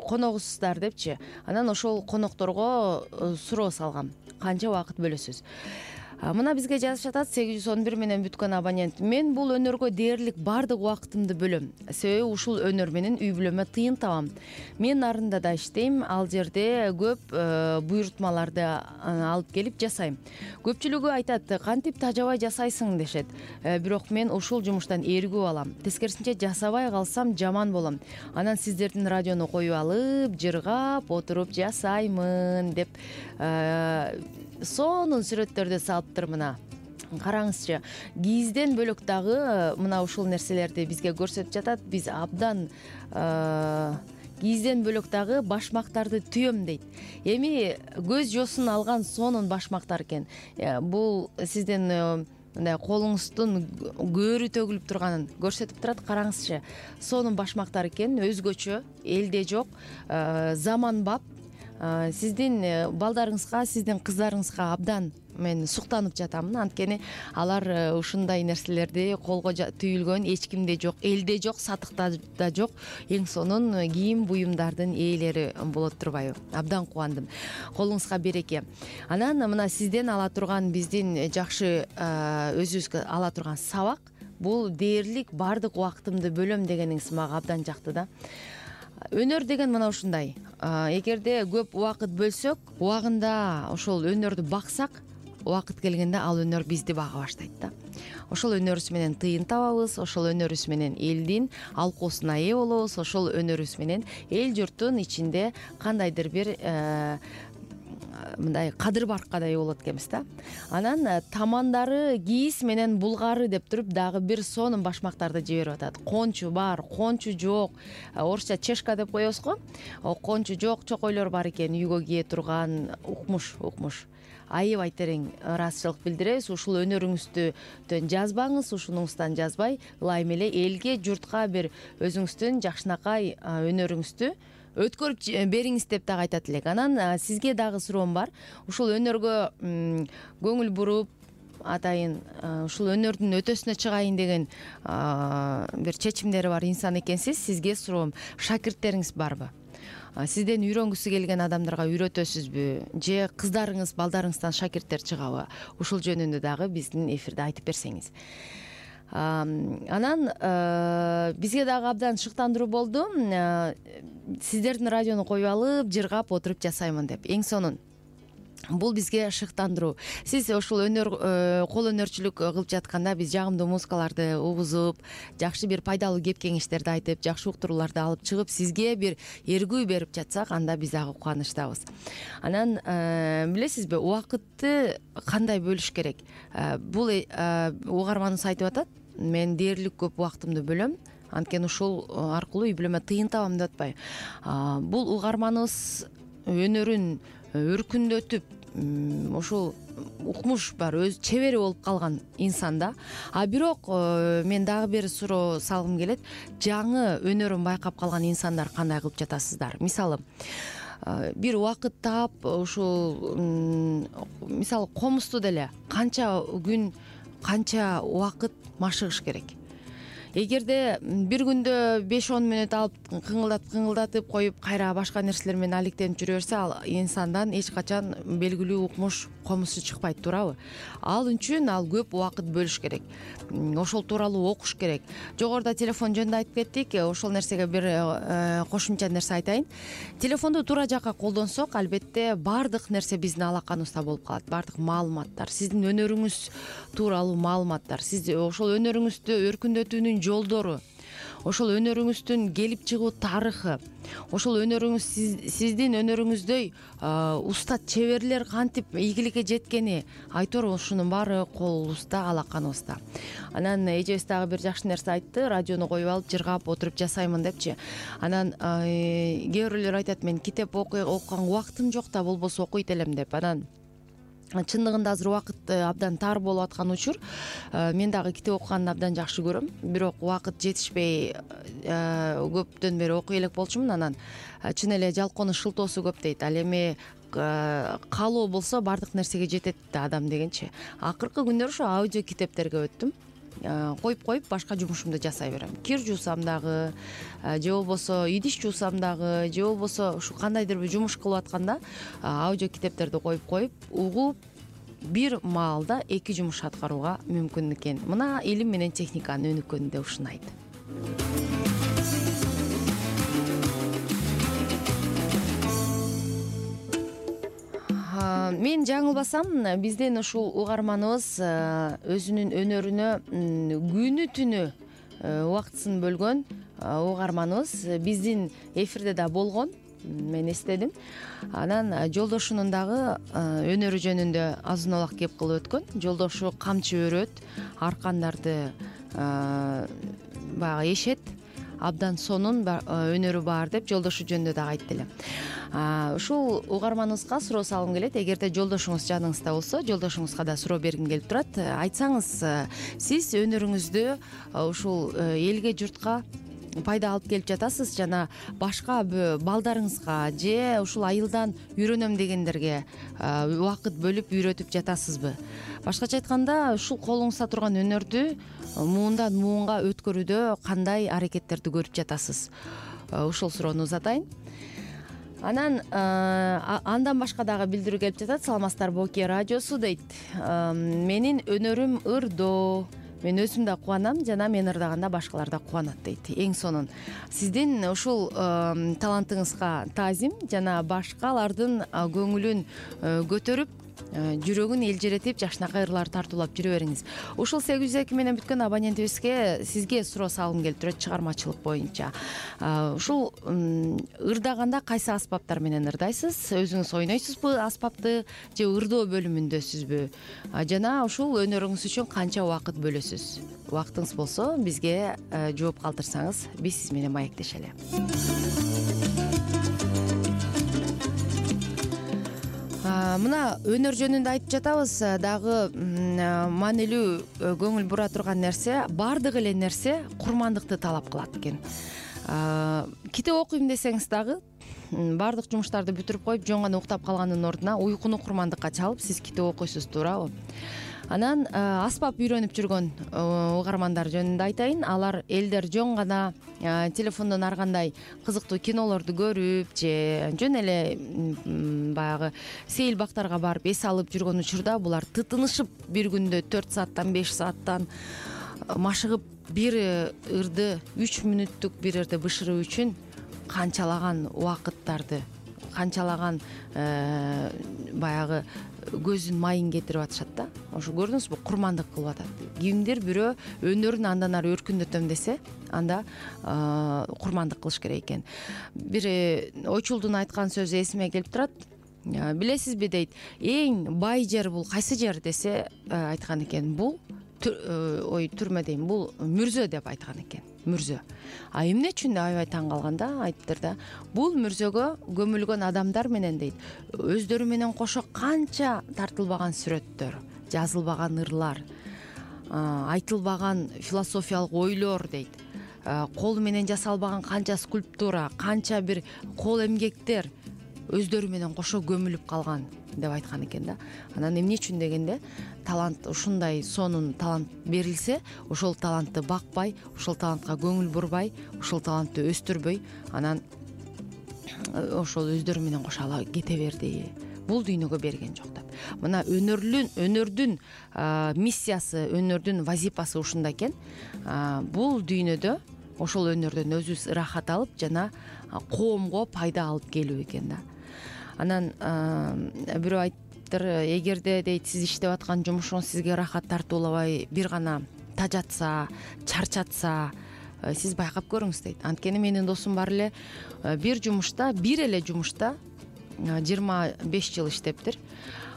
коногусуздар депчи. Анан ошол конокторго суроо салгам. Канча убакыт бөлөсүз? Мына бизге жазып жатат 811 менен бүткөн абонент. Мен бул өнөргө дээрлик бардык убактымды бөлөм. Себеби ушул өнөр менен үй бүлөмө тыйын табам. Мен нарында да иштейм, ал жерде көп буйрутмаларды алып келип жасайм. Көпчүлүгү айтат, кантип тажабай жасайсың дешет. Бирок мен ушул жумуштан эргүү алам. Тескерисинче жасабай калсам жаман болом. Анан сиздердин радиону коюп алып, жыргап отуруп жасаймын деп сонун сүрөттөрдү салыптыр. Мына караңызчы, кийизден бөлөк дагы мына ушул нерселерди бизге көрсөтүп жатат. Биз абдан кийизден бөлөк дагы башмактарды түйөм дейт. Эми көз жосун алган сонун башмактар экен. Бул сиздин мындай колуңуздун көөрү төгүлүп турганын көрсөтүп турат. Караңызчы, сонун башмактар экен, өзгөчө, элде жок, заманбап. Сиздин балдарыңызга, сиздин кыздарыңызга абдан мен суктанып жатам. Анткени алар ушундай нерселерди колго түйүлгөн эч кимде жок, элде жок, сатыкта да жок эң сонун кийим буюмдардын ээлери болот турбайбы? Абдан кубандым. Колуңузга береке. Анан мына сизден ала турган, биздин жакшы өзүбүзгө ала турган сабак, бул дээрлик бардык убактымды бөлөм дегениңиз мага абдан жакты да. Өнөр деген мына ушундай. Эгерде көп убакыт бөлсөк, убагында ошол өнөрдү баксак, убакыт келгенде ал өнөр бизди бага баштайт да. Ошол өнөрүбүз менен тыйын табабыз, ошол өнөрүбүз менен элдин алкоосуна ээ болобуз, ошол өнөрүбүз менен эл журттун ичинде кандайдыр бир мындай кадыр баркадай болот экенбиз да. Анан тамандары кийиз менен булгары деп туруп дагы бир сонун башмактарды жиберип атат. Кончу бар, кончу жок. Орусча чешка деп коебуз го. Кончу жок чокойлор бар экен, үйгө кие турган. Укмуш. Аябай терең ыраазычылык билдиребиз. Ушул өнөрүңүздөн жазбаңыз, ушунуңуздан жазбай, ылайым эле элге, журтка бир өзүңүздүн жакшынакай өнөрүңүздү өткөрүп бериңиз деп дагы айтат элек. Анан сизге дагы суроом бар. Ушул өнөргө көңүл буруп, атайын ушул өнөрдүн өтөсүнө чыгайын деген бир чечимдери бар инсан экенсиз. Сизге суроом, шакирттериңиз барбы? Сизден үйрөнгүсү келген адамдарга үйрөтөсүзбү же кыздарыңыз, балдарыңыздан шакирттер чыгабы? Ушул жөнүндө дагы биздин эфирде айтып берсеңиз. Анан бизге дагы абдан шыктандыруу болду. Сиздердин радиону коюп алып, жыргап отуруп жасаймын деп. Эң сонун бул бизге шыктандыруу. Сиз ушул кол өнөрчүлүк кылып жатканда биз жагымдуу музыкаларды угузуп, жакшы бир пайдалуу кеп кеңештерди айтып, жакшы уктурууларды алып чыгып, сизге бир эргүү берип жатсак, анда биз дагы кубанычтабыз. Анан билесизби, убакытты кандай бөлүш керек? Бул угарманыбыз айтып атат, мен дээрлик көп убактымды бөлөм, анткени ушул аркылуу үй бүлөмө тыйын табам деп атпайбы. Бул угарманыбыз өнөрүн өркүндөтүп, ушул укмуш бар, өз чебери болуп калган инсан да. Бирок мен дагы бир суроо салгым келет. Жаңы өнөрүн байкап калган инсандар кандай кылып жатасыздар? Мисалы, бир убакыт таап, ушул мисалы комузду деле канча күн, канча убакыт машыгыш керек? Эгерде бир күндө 5-10 мүнөт алып кыңылдатып коюп, кайра башка нерселер менен алектенип жүрө берсе, ал инсандан эч качан белгилүү укмуш, комузу чыкпайт, туурабы? Ал үчүн ал көп убакыт бөлүш керек. Ошол тууралуу окуш керек. Жогоруда телефон жөнүндө айтып кеттик. Ошол нерсеге бир кошумча нерсе айтайын. Телефонду туура жакка колдонсок, албетте баардык нерсе биздин алаканыбызда болуп калат. Баардык маалыматтар, сиздин өнөрүңүз тууралуу маалыматтар, сиз ошол өнөрүңүздү өркүндөтүүнүн жолдору, ошол өнөрүңүздүн келип чыгуу тарыхы, ошол өнөрүңүз сиздин өнөрүңүздөй уста чеберлер кантип ийгиликке жеткени, айтор ушунун баары колубузда, алаканыбызда. Анан эжебиз дагы бир жакшы нерсе айтты, радиону коюп алып, жыргап отуруп жасаймын депчи. Анан кээ бирөөлөр айтат, мен китеп окуганга убактым жок да, болбосо окуйт элем деп. Анан чындыгында азыр убакыт абдан тар болуп аткан учур. Мен дагы китеп окуганды абдан жакшы көрөм, бирок убакыт жетишпей көптөн бери окуй элек болчумун. Анан чын эле жалкоонун шылтоосу көп дейт. Ал эми каалоо болсо баардык нерсеге жетет да адам дегенчи. Акыркы күндөр ушу аудио китептерге өттүм. Коюп башка жумушумду жасай берем. Кир жуусам дагы, же болбосо идиш жуусам дагы, же болбосо ушу кандайдыр бир жумуш кылып атканда аудио китептерди коюп угуп, бир маалда 2 жумуш аткарууга мүмкүн экен. Мына илим менен техниканын өнүккөнүндө ушунайт. Мен жаңылбасам, биздин ушул угарманыбыз өзүнүн өнөрүнө күнү түнү убактысын бөлгөн угарманыбыз биздин эфирде да болгон, мен эстедим. Анан жолдошунун дагы өнөрү жөнүндө азын улак кеп кылып өткөн. Жолдошу камчы өрөт, аркандарды баягы эшет, абдан сонун өнөрү бар деп жолдошу жөнүндө дагы айтты эле. Ушул угарманыбызга суроо салгым келет. Эгерде жолдошуңуз жаныңызда болсо, жолдошуңузга да суроо бергим келип турат. Айтсаңыз, сиз өнөрүңүздү ушул элге, журтка пайда алып келип жатасыз жана башка балдарыңызга же ушул айылдан үйрөнөм дегендерге убакыт бөлүп үйрөтүп жатасызбы? Башкача айтканда, ушул колуңузда турган өнөрдү муундан муунга өткөрүүдө кандай аракеттерди көрүп жатасыз? Ушул суроону узатайын. Анан андан башка дагы билдирүү келип жатат. Саламатсыздарбы, Оке радиосу дейт. Менин өнөрүм ырдоо. Мен өзүм да кубанам жана мен ырдаганда башкалар да кубанат дейт. Эң сонун. Сиздин ушул талантыңызга таазим жана башкалардын көңүлүн көтөрүп, жүрөгүн элжиретип, жакшынакай ырлар тартуулап жүрө бериңиз. Ушул 802 менен бүткөн абонентибизге сизге суроо салгым келип турат чыгармачылык боюнча. Ушул ырдаганда кайсы аспаптар менен ырдайсыз? Өзүңүз ойнойсузбу аспапты же ырдоо бөлүмүндөсүзбү? Жана ушул өнөрүңүз үчүн канча убакыт бөлөсүз? Убактыңыз болсо бизге жооп калтырсаңыз, биз сиз менен маектешели. Мына өнөр жөнүндө айтып жатабыз, дагы маанилүү көңүл бура турган нерсе, баардык эле нерсе курмандыкты талап кылат экен. Китеп окуйм десеңиз дагы, баардык жумуштарды бүтүрүп коюп, жөн гана уктап калгандын ордуна уйкуну курмандыкка чалып, сиз китеп окуйсуз, туурабы? Анан аспап үйрөнүп жүргөн угармандар жөнүндө айтайын. Алар элдер жөн гана телефондон ар кандай кызыктуу кинолорду көрүп же жөн эле баягы сейил бактарга барып эс алып жүргөн учурда булар тытынышып бир күндө 4 сааттан 5 сааттан машыгып бир ырды 3 мүнөттүк бир ырды бышыруу үчүн канчалаган убакыттарды, канчалаган баягы көзүн майын кетирип атышат да. Ошо көрдүңүзбү, курмандык кылып атат. Кимдир бирөө өнөрүн андан ары өркүндөтөм десе, анда курмандык кылыш керек экен. Бир ойчулдун айткан сөзү эсиме келип турат. Билесизби дейт, эң бай жер бул кайсы жер десе, айткан экен, бул түрмө дейм, бул мүрзө деп айткан экен. Мүрзө. Эмне үчүн деп аябай таң калган да, айтыптыр да. Бул мүрзөгө көмүлгөн адамдар менен дейт, өздөрү менен кошо канча тартылбаган сүрөттөр, жазылбаган ырлар, айтылбаган философиялык ойлор дейт. Кол менен жасалбаган канча скульптура, канча бир кол эмгектер өздөрү менен кошо көмүлүп калган деп айткан экен да. Анан эмне үчүн дегенде, талант ушундай сонун талант берилсе, ошол талантты бакпай, ошол талантка көңүл бурбай, ошол талантты өстүрбөй, анан ошол өздөрү менен кошо ала кете берди. Бул дүйнөгө берген жок деп. Мына өнөрдүн миссиясы, өнөрдүн вазипасы ушунда экен. Бул дүйнөдө ошол өнөрдөн өзүбүз ырахат алып, жана коомго пайда алып келүү экен да. Анан бирөө айттыр, эгерде дейт сиз иштеп аткан жумушуңуз сизге ырахат тартуулабай, бир гана тажатса, чарчатса, сиз байкап көрүңүз дейт. Анткени менин досум бар эле бир эле жумушта 25 жыл иштептир.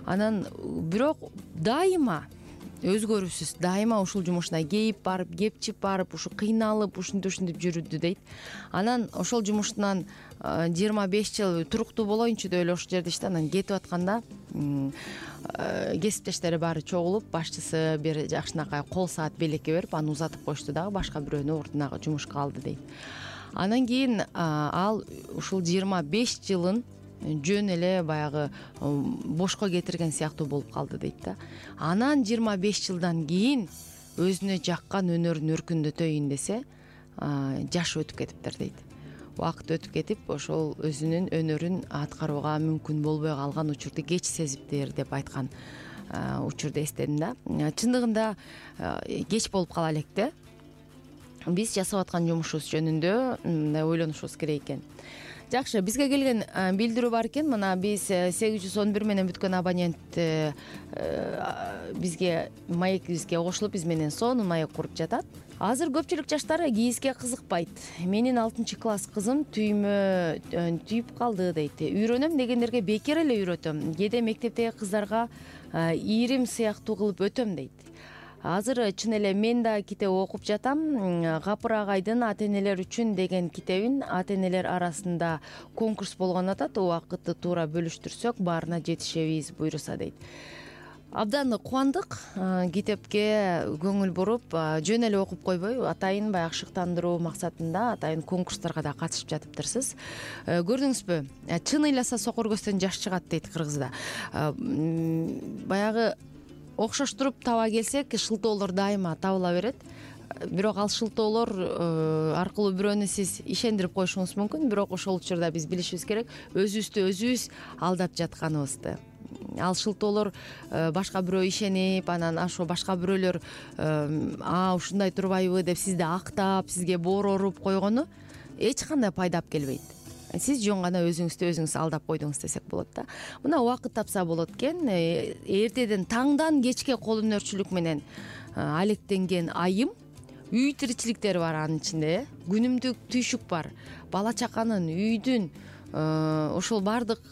Анан бирок дайыма өзгөрүүсүз, дайыма ушул жумушуна кейип барып, кепчип барып, ушу кыйналып, ушинтип жүрдү дейт. Анан ошол жумуштан 25 жыл туруктуу болоюнчу деп эле ошол жерде иштеп, анан кетип атканда кесиптештери баары чогулуп, башчысы бир жакшынакай кол саат белекке берип, аны узатып коюшту дагы, башка бирөөнү ордуна жумушка алды дейт. Анан кийин ал ушул 25 жылын жөн эле баягы бошко кетирген сыяктуу болуп калды дейт да. Анан 25 жылдан кийин өзүнө жаккан өнөрүн өркүндөтөйүн десе, жаш өтүп кетиптир дейт. Убакыт өтүп кетип, ошол өзүнүн өнөрүн аткарууга мүмкүн болбой калган учурду кеч сезиптир деп айткан учурду эстедим да. Чындыгында кеч болуп кала элек да. Биз жасап аткан жумушубуз жөнүндө мындай ойлонушубуз керек экен. Жакшы, бизге келген билдирүү бар экен. Мына биз 811 менен бүткөн абонент бизге маегибизге кошулуп, биз менен сонун маек куруп жатат. Азыр көпчүлүк жаштар кийизге кызыкпайт. Менин 6-класс кызым түймө түйүп калды дейт. Үйрөнөм дегендерге бекер эле үйрөтөм. Кээде мектептеги кыздарга ийрим сыяктуу кылып өтөм дейт. Азыр чын эле мен да китеп окуп жатам. Гапыр агайдын ата энелер үчүн деген китебин ата энелер арасында конкурс болгон атат. Убакытты туура бөлүштүрсөк, баарына жетишебиз буйруса дейт. Абдан кубандык, китепке көңүл буруп, жөн эле окуп койбой, атайын баягы шыктандыруу максатында атайын конкурстарга да катышып жатыптырсыз. Көрдүңүзбү? Чын ыйласа сокур көздөн жаш чыгат дейт кыргызда. Баягы окшоштуруп таба келсек, шылтоолор дайыма табыла берет. Бирок ал шылтоолор аркылуу бирөөнү сиз ишендирип коюшуңуз мүмкүн, бирок ошол учурда биз билишибиз керек өзүбүздү өзүбүз алдап жатканыбызды. Ал шылтоолор башка бирөө ишенип, анан ошо башка бирөөлөр ушундай турбайбы деп сизди актап, сизге боор оруп койгону эч кандай пайда алып келбейт. Сиз жөн гана өзүңүздү өзүңүз алдап койдуңуз десек болот да. Мына убакыт тапса болот экен. Эртеден таңдан кечке кол өнөрчүлүк менен алектенген айым, үй тиричиликтери бар анын ичинде, күнүмдүк түйшүк бар. Бала чаканын, үйдүн, ошол баардык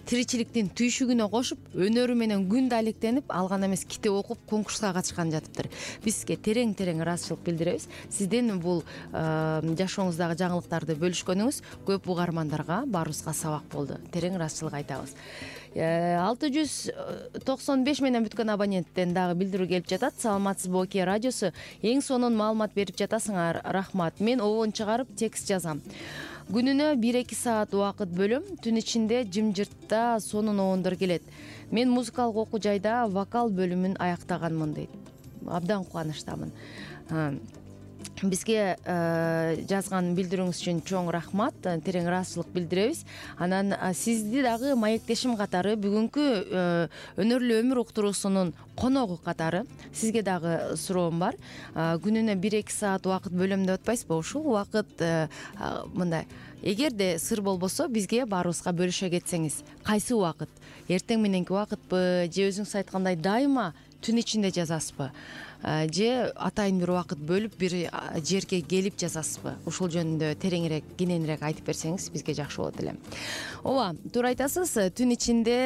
тиричиликтин түйшүгүнө кошуп, өнөрү менен күндө алектенип, ал гана эмес китеп окуп, конкурска катышкан жатыптыр. Бизге терең ыраазычылык билдиребиз. Сиздин бул жашооңуздагы жаңылыктарды бөлүшкөнүңүз көп угармандарга, баарыбызга сабак болду. Терең ыраазычылык айтабыз. 695 менен бүткөн абоненттен дагы билдирүү келип жатат. Саламатсызбы, Окей радиосу? Эң сонун маалымат берип жатасыңар, рахмат. Мен обон чыгарып текст жазам. күнүнө 1-2 саат убакыт бөлөм. Түн ичинде жымжыртта сонун оондар келет. Мен музыкалык окуу жайда вокал бөлүмүн аяктаганмын дейт. Абдан кубанычтамын. Бизге жазган билдирүүңүз үчүн чоң рахмат, терең ыраазычылык билдиребиз. Анан сизди дагы маектешим катары, бүгүнкү өнөрлүү өмүр уктуруусунун коногу катары сизге дагы суроом бар. Күнүнө 1-2 саат убакыт бөлөм деп атпайсызбы? Ушул убакыт мындай, эгерде сыр болбосо бизге баарыбызга бөлүшө кетсеңиз, кайсы убакыт? Эртең мененки убакытпы же өзүңүз айткандай дайыма түн ичинде жазасызбы? Же атайын бир убакыт бөлүп бир жерге келип жазасызбы? Ушул жөнүндө тереңирээк, кененирээк айтып берсеңиз бизге жакшы болот эле. Ооба, туура айтасыз. Түн ичинде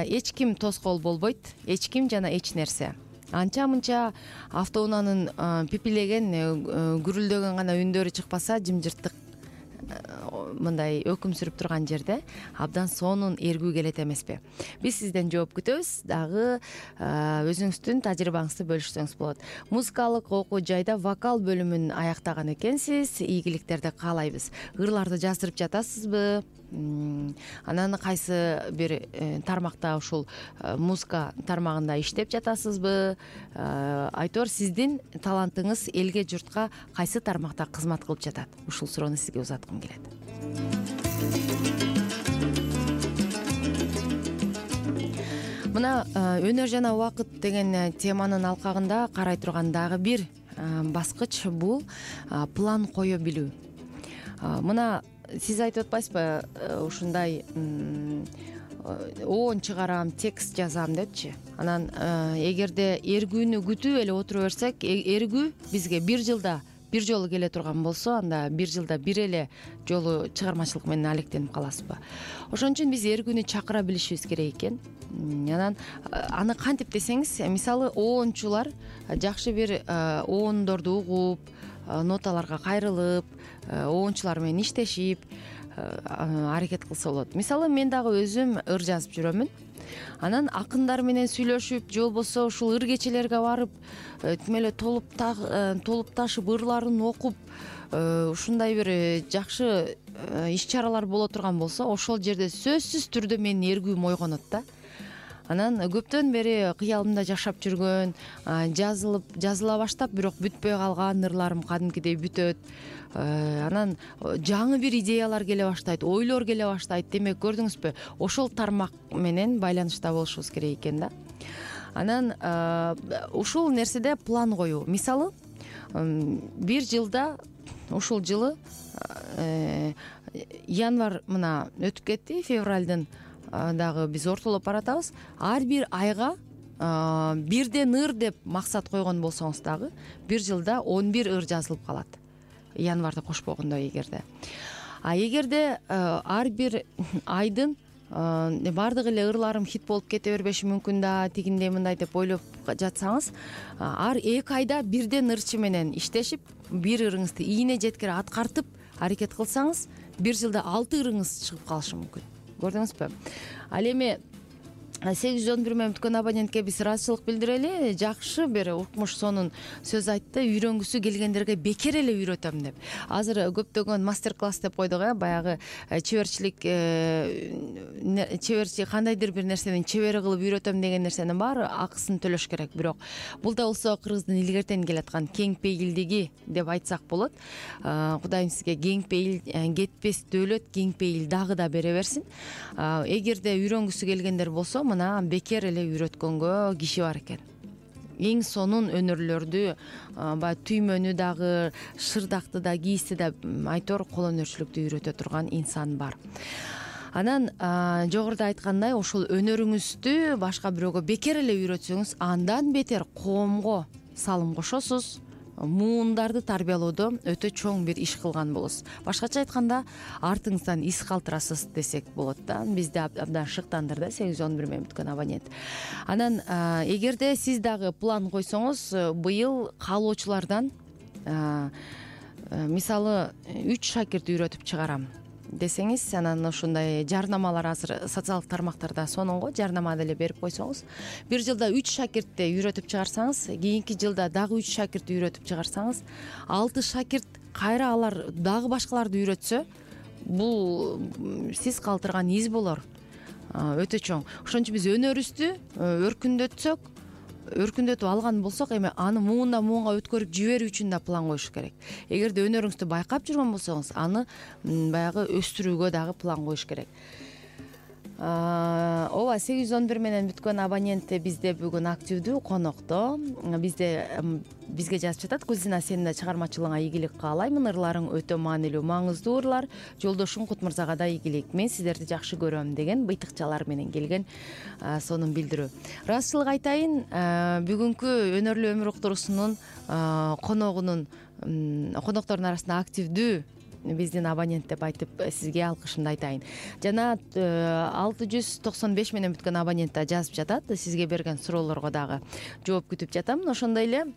эч ким тоскоол болбойт, эч ким жана эч нерсе. Анча-мынча автоунаанын пипилеген, гүрүлдөгөн гана үндөрү чыкпаса, жымжырттык мындай өкүм сүрүп турган жерде абдан сонун эргүү келет эмеспи? Биз сизден жооп күтөбүз. Дагы өзүңүздүн тажрыйбаңызды бөлүшсөңүз болот. Музыкалык окуу жайда вокал бөлүмүн аяктаган экенсиз. Ийгиликтерди каалайбыз. Ырларды жаздырып жатасызбы? Анан кайсы бир тармакта, ушул музыка тармагында иштеп жатасызбы? Айтор, сиздин талантыңыз элге, журтка кайсы тармакта кызмат кылып жатат? Ушул суроону сизге узаткым келет. Мына өнөр жана убакыт деген теманын алкагында карай турган дагы бир баскыч бул план кое билүү. Мына сиз айтып атпайсызбы, ушундай оон чыгарам, текст жазам депчи. Анан эгерде эргүүнү күтүп эле отура берсек, эргүү бизге бир жылда бир жолу келе турган болсо, анда бир жылда бир эле жолу чыгармачылык менен алектенип каласызбы? Ошон үчүн биз эргүүнү чакыра билишибиз керек экен. Анан аны кантип десеңиз, мисалы оончулар жакшы бир оондорду угуп, ноталарга кайрылып, оончулар менен иштешип аракет кылса болот. Мисалы мен дагы өзүм ыр жазып жүрөмүн. Анан акындар менен сүйлөшүп, же болбосо ушул ыр кечелерге барып, тим эле толуп ташып ырларын окуп, ушундай бир жакшы иш-чаралар боло турган болсо, ошол жерде сөзсүз түрдө менин эргүүм ойгонот да. Анан көптөн бери кыялымда жашап жүргөн, жазыла баштап, бирок бүтпөй калган ырларым кадимкидей бүтөт. Анан жаңы бир идеялар келе баштайт, ойлор келе баштайт. Демек, көрдүңүзбү, ошол тармак менен байланышта болушубуз керек экен да. Анан ушул нерседе план коюу. Мисалы, бир жылда, ушул жылы январь мына өтүп кетти, февралдын дагы биз ортолоп баратабыз. Ар бир айга бирден ыр деп максат койгон болсоңуз дагы, бир жылда 11 ыр жазылып калат. Январда кошпогондо эгерде. Эгерде ар бир айдын баардык эле ырларым хит болуп кете бербеши мүмкүн да, тигиндей мындай деп ойлоп жатсаңыз, ар 2 айда бирден ырчы менен иштешип, бир ырыңызды ийне жеткире аткартып аракет кылсаңыз, бир жылда 6 ырыңыз чыгып калышы мүмкүн. Көрдүңүзбү? Ал эми 811 менен бүткөн абонентке биз ыраазычылык билдирели. Жакшы бир укмуш сонун сөз айтты. Үйрөнгүсү келгендерге бекер эле үйрөтөм деп. Азыр көптөгөн мастер-класс деп койдук, баягы чеберчилик, кандайдыр бир нерсенин чебери кылып үйрөтөм деген нерсенин баары акысын төлөш керек. Бирок бул да болсо кыргыздын илгертен келаткан кең пейилдиги деп айтсак болот. Кудайым сизге кең пейил, кетпес дөөлөт, кең пейил дагы да бере берсин. Эгерде үйрөнгүсү келгендер болсо, мына бекер эле үйрөткөнгө киши бар экен. Эң сонун өнөрлөрдү, баягы түймөнү дагы, шырдакты да, кийизди да, айтор кол өнөрчүлүктү үйрөтө турган инсан бар. Анан жогоруда айткандай, ошол өнөрүңүздү башка бирөөгө бекер эле үйрөтсөңүз, андан бетер коомго салым кошосуз, муундарды тарбиялоодо өтө чоң бир иш кылган болосуз. Башкача айтканда, артыңыздан из калтырасыз десек болот да. Бизди абдан шыктандырды 811 менен бүткөн абонент. Анан эгерде сиз дагы план койсоңуз, быйыл каалоочулардан мисалы 3 шакирт үйрөтүп чыгарам десеңиз, анан ушундай жарнамалар азыр социалдык тармактарда сонун го, жарнама деле берип койсоңуз, бир жылда 3 шакиртти үйрөтүп чыгарсаңыз, кийинки жылда дагы 3 шакиртти үйрөтүп чыгарсаңыз, 6 шакирт кайра алар дагы башкаларды үйрөтсө, бул сиз калтырган из болор өтө чоң. Ошон үчүн биз өнөрүбүздү өркүндөтүп алган болсок, эми аны муундан муунга өткөрүп жиберүү үчүн да план коюш керек. Эгерде өнөрүңүздү байкап жүргөн болсоңуз, аны баягы өстүрүүгө дагы план коюш керек. Ооба, 811 менен бүткөн абонент бизде бүгүн активдүү конокто. Бизге жазып жатат: Кузина, сенин да чыгармачылыгыңа ийгилик каалаймын. Ырларың өтө маанилүү, маңыздуу ырлар. Жолдошуң Кутмырзага да ийгилик. Мен сиздерди жакшы көрөм деген быйтыкчалар менен келген сонун билдирүү. Ырастчылык айтайын, бүгүнкү өнөрлүү өмүр уктуруусунун коноктордун арасында активдүү биздин абонент деп айтып сизге алкышымды айтайын. Жана 695 менен бүткөн абонент да жазып жатат. Сизге берген суроолорго дагы жооп күтүп жатам. Ошондой эле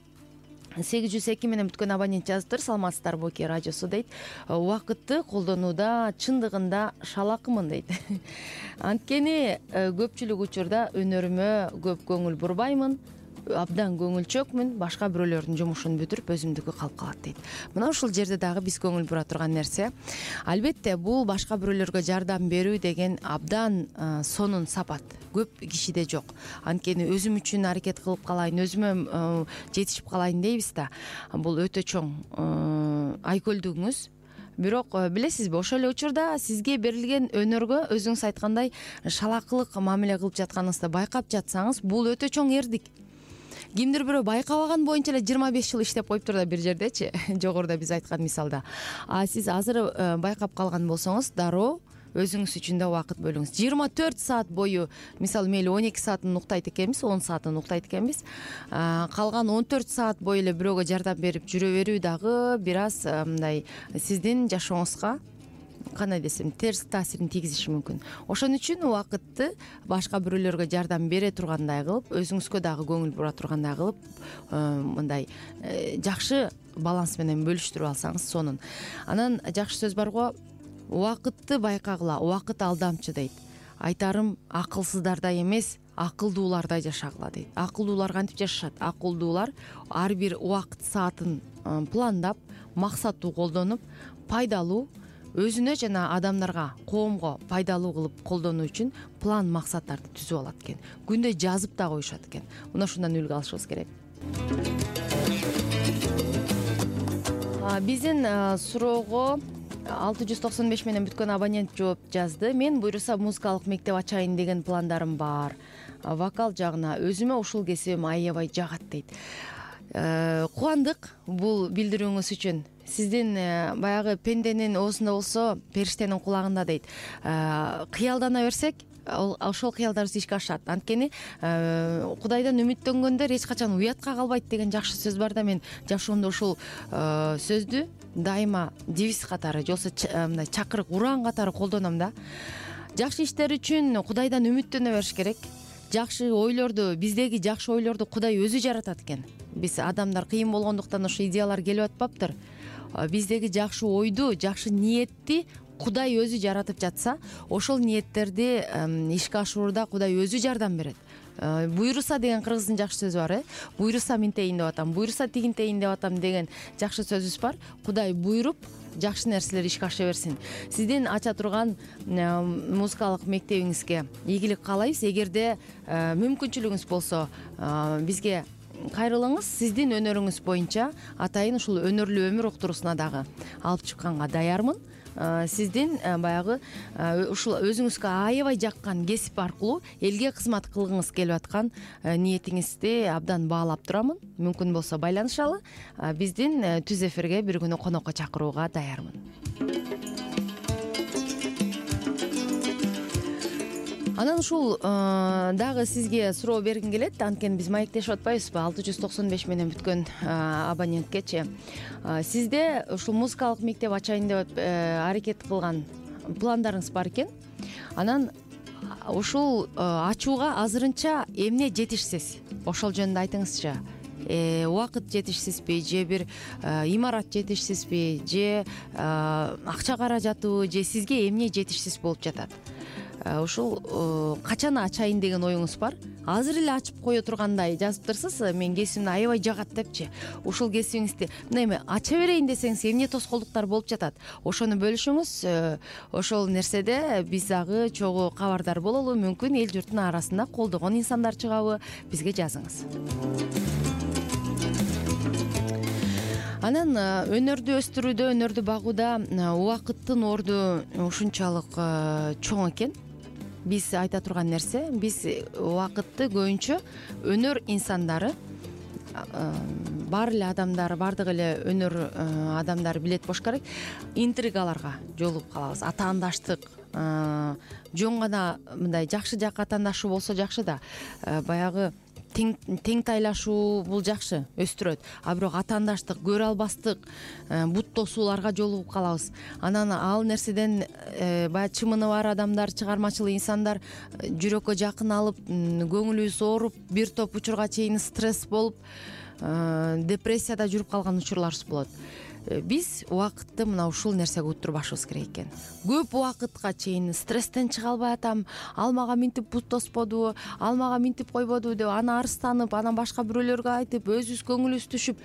802 менен бүткөн абонент жазыптыр. Саламатсыздарбы Оке радиосу дейт. Убакытты колдонууда чындыгында шалакымын дейт. Анткени көпчүлүк учурда өнөрүмө көп көңүл бурбаймын. Абдан көңүлчөкмүн, башка бирөөлөрдүн жумушун бүтүрүп өзүмдүкү калып калат дейт. Мына ушул жерде дагы биз көңүл бура турган нерсе, албетте бул башка бирөөлөргө жардам берүү деген абдан сонун сапат көп кишиде жок. Анткени өзүм үчүн аракет кылып калайын, өзүмө жетишип калайын дейбиз да. Бул өтө чоң айкөлдүгүңүз. Бирок билесизби, ошол эле учурда сизге берилген өнөргө өзүңүз айткандай шалакылык мамиле кылып жатканыңызды байкап жатсаңыз, бул өтө чоң эрдик. Кимдир бирөө байкабаган боюнча эле 25 жыл иштеп коюптур да бир жердечи, жогоруда биз айткан мисалда. Сиз азыр байкап калган болсоңуз, дароо өзүңүз үчүн да убакыт бөлүңүз. 24 саат бою, мисалы мейли 12 саатын уктайт экенбиз, 10 саатын уктайт экенбиз. Калган 14 саат бою эле бирөөгө жардам берип жүрө берүү дагы бир аз мындай сиздин жашооңузга кандай десем, терс таасирин тийгизиши мүмкүн. Ошон үчүн убакытты башка бирөөлөргө жардам бере тургандай кылып, өзүңүзгө дагы көңүл бура тургандай кылып, мындай жакшы баланс менен бөлүштүрүп алсаңыз сонун. Анан жакшы сөз барго, убакытты байкагыла, убакыт алдамчы дейт. Айтарым, акылсыздардай эмес, акылдуулардай жашагыла дейт. Акылдуулар кантип жашашат? Акылдуулар ар бир убакыт саатын пландап, максаттуу колдонуп, пайдалуу, өзүнө жана адамдарга, коомго пайдалуу кылып колдонуу үчүн план максаттарды түзүп алат экен. Күндө жазып да коюшат экен. Мына ушундан үлгү алышыбыз керек. Биздин суроого 695 менен бүткөн абонент жооп жазды. Мен буйруса музыкалык мектеп ачайын деген пландарым бар. Вокал жагына өзүмө ушул кесибим аябай жагат дейт. Кубандык бул билдирүүңүз үчүн. Сиздин баягы пенденин оозунда болсо, периштенин кулагында дейт. Кыялдана берсек, ошол кыялдарыбыз ишке ашат. Анткени Кудайдан үмүттөнгөндөр эч качан уятка калбайт деген жакшы сөз бар да, мен жашоомдо ушул сөздү дайыма девиз катары, же болбосо мындай чакырык, ураан катары колдоном да. Жакшы иштер үчүн Кудайдан үмүттөнө бериш керек. Жакшы ойлорду, биздеги жакшы ойлорду Кудай өзү жаратат экен. Биз адамдар кыйын болгондуктан ошо идеялар келип атпаптыр. Биздеги жакшы ойду, жакшы ниетти Кудай өзү жаратып жатса, ошол ниеттерди ишке ашырууда Кудай өзү жардам берет. Буйруса деген кыргыздын жакшы сөзү бар, буйруса минтейин деп атам, буйруса тигинтейин деп атам деген жакшы сөзүбүз бар. Кудай буйруп, жакшы нерселер ишке аша берсин. Сиздин ача турган музыкалык мектебиңизге ийгилик каалайбыз. Эгерде мүмкүнчүлүгүңүз болсо, бизге кайрылыңыз. Сиздин өнөрүңүз боюнча атайын ушул өнөрлүү өмүр уктуруусуна дагы алып чыкканга даярмын. Сиздин баягы ушул өзүңүзгө аябай жаккан кесип аркылуу элге кызмат кылгыңыз келип аткан ниетиңизди абдан баалап турамын. Мүмкүн болсо байланышалы. Биздин түз эфирге бир күнү конокко чакырууга даярмын. Анан ушул дагы сизге суроо бергим келет. Анткени биз маектешип атпайбызбы? 695 менен бүткөн абоненткечи. Сизде ушул музыкалык мектеп ачайын деп аракет кылган пландарыңыз бар экен. Анан ушул ачууга азырынча эмне жетишсиз? Ошол жөнүндө айтыңызчы. Убакыт жетишсизби, же бир имарат жетишсизби, же акча каражатыбы, же сизге эмне жетишсиз болуп жатат? ушул качан ачайын деген оюңуз бар? Азыр эле ачып кое тургандай жазыптырсыз, мен кесибимди аябай жагат депчи. Ушул кесибиңизди мына эми ача берейин десеңиз эмне тоскоолдуктар болуп жатат? Ошону бөлүшүңүз. Ошол нерседе биз дагы чогуу кабардар бололу. Мүмкүн эл журттун арасында колдогон инсандар чыгабы? Бизге жазыңыз. Анан өнөрдү өстүрүүдө, өнөрдү багууда убакыттын орду ушунчалык чоң экен. Биз айта турган нерсе, биз убакытты көбүнчө өнөр инсандары, баары эле адамдар, баардык эле өнөр адамдары билет болуш керек, интригаларга жолугуп калабыз. Атаандаштык жөн гана мындай жакшы жак атаандашуу болсо жакшы да, баягы тең тайлашуу бул жакшы, өстүрөт. А бирок атаандаштык, көрө албастык, бут тосууларга жолугуп калабыз. Анан ал нерседен баягы чымыны бар адамдар, чыгармачыл инсандар жүрөккө жакын алып, көңүлүбүз ооруп, бир топ учурга чейин стресс болуп, депрессияда жүрүп калган учурларыбыз болот. Биз убакытты мына ушул нерсеге уттурбашыбыз керек экен. Көп убакытка чейин стресстен чыга албай атам, ал мага минтип бут тосподу, ал мага минтип койбоду деп аны арызданып, анан башка бирөөлөргө айтып, өзүбүз көңүлүбүз түшүп,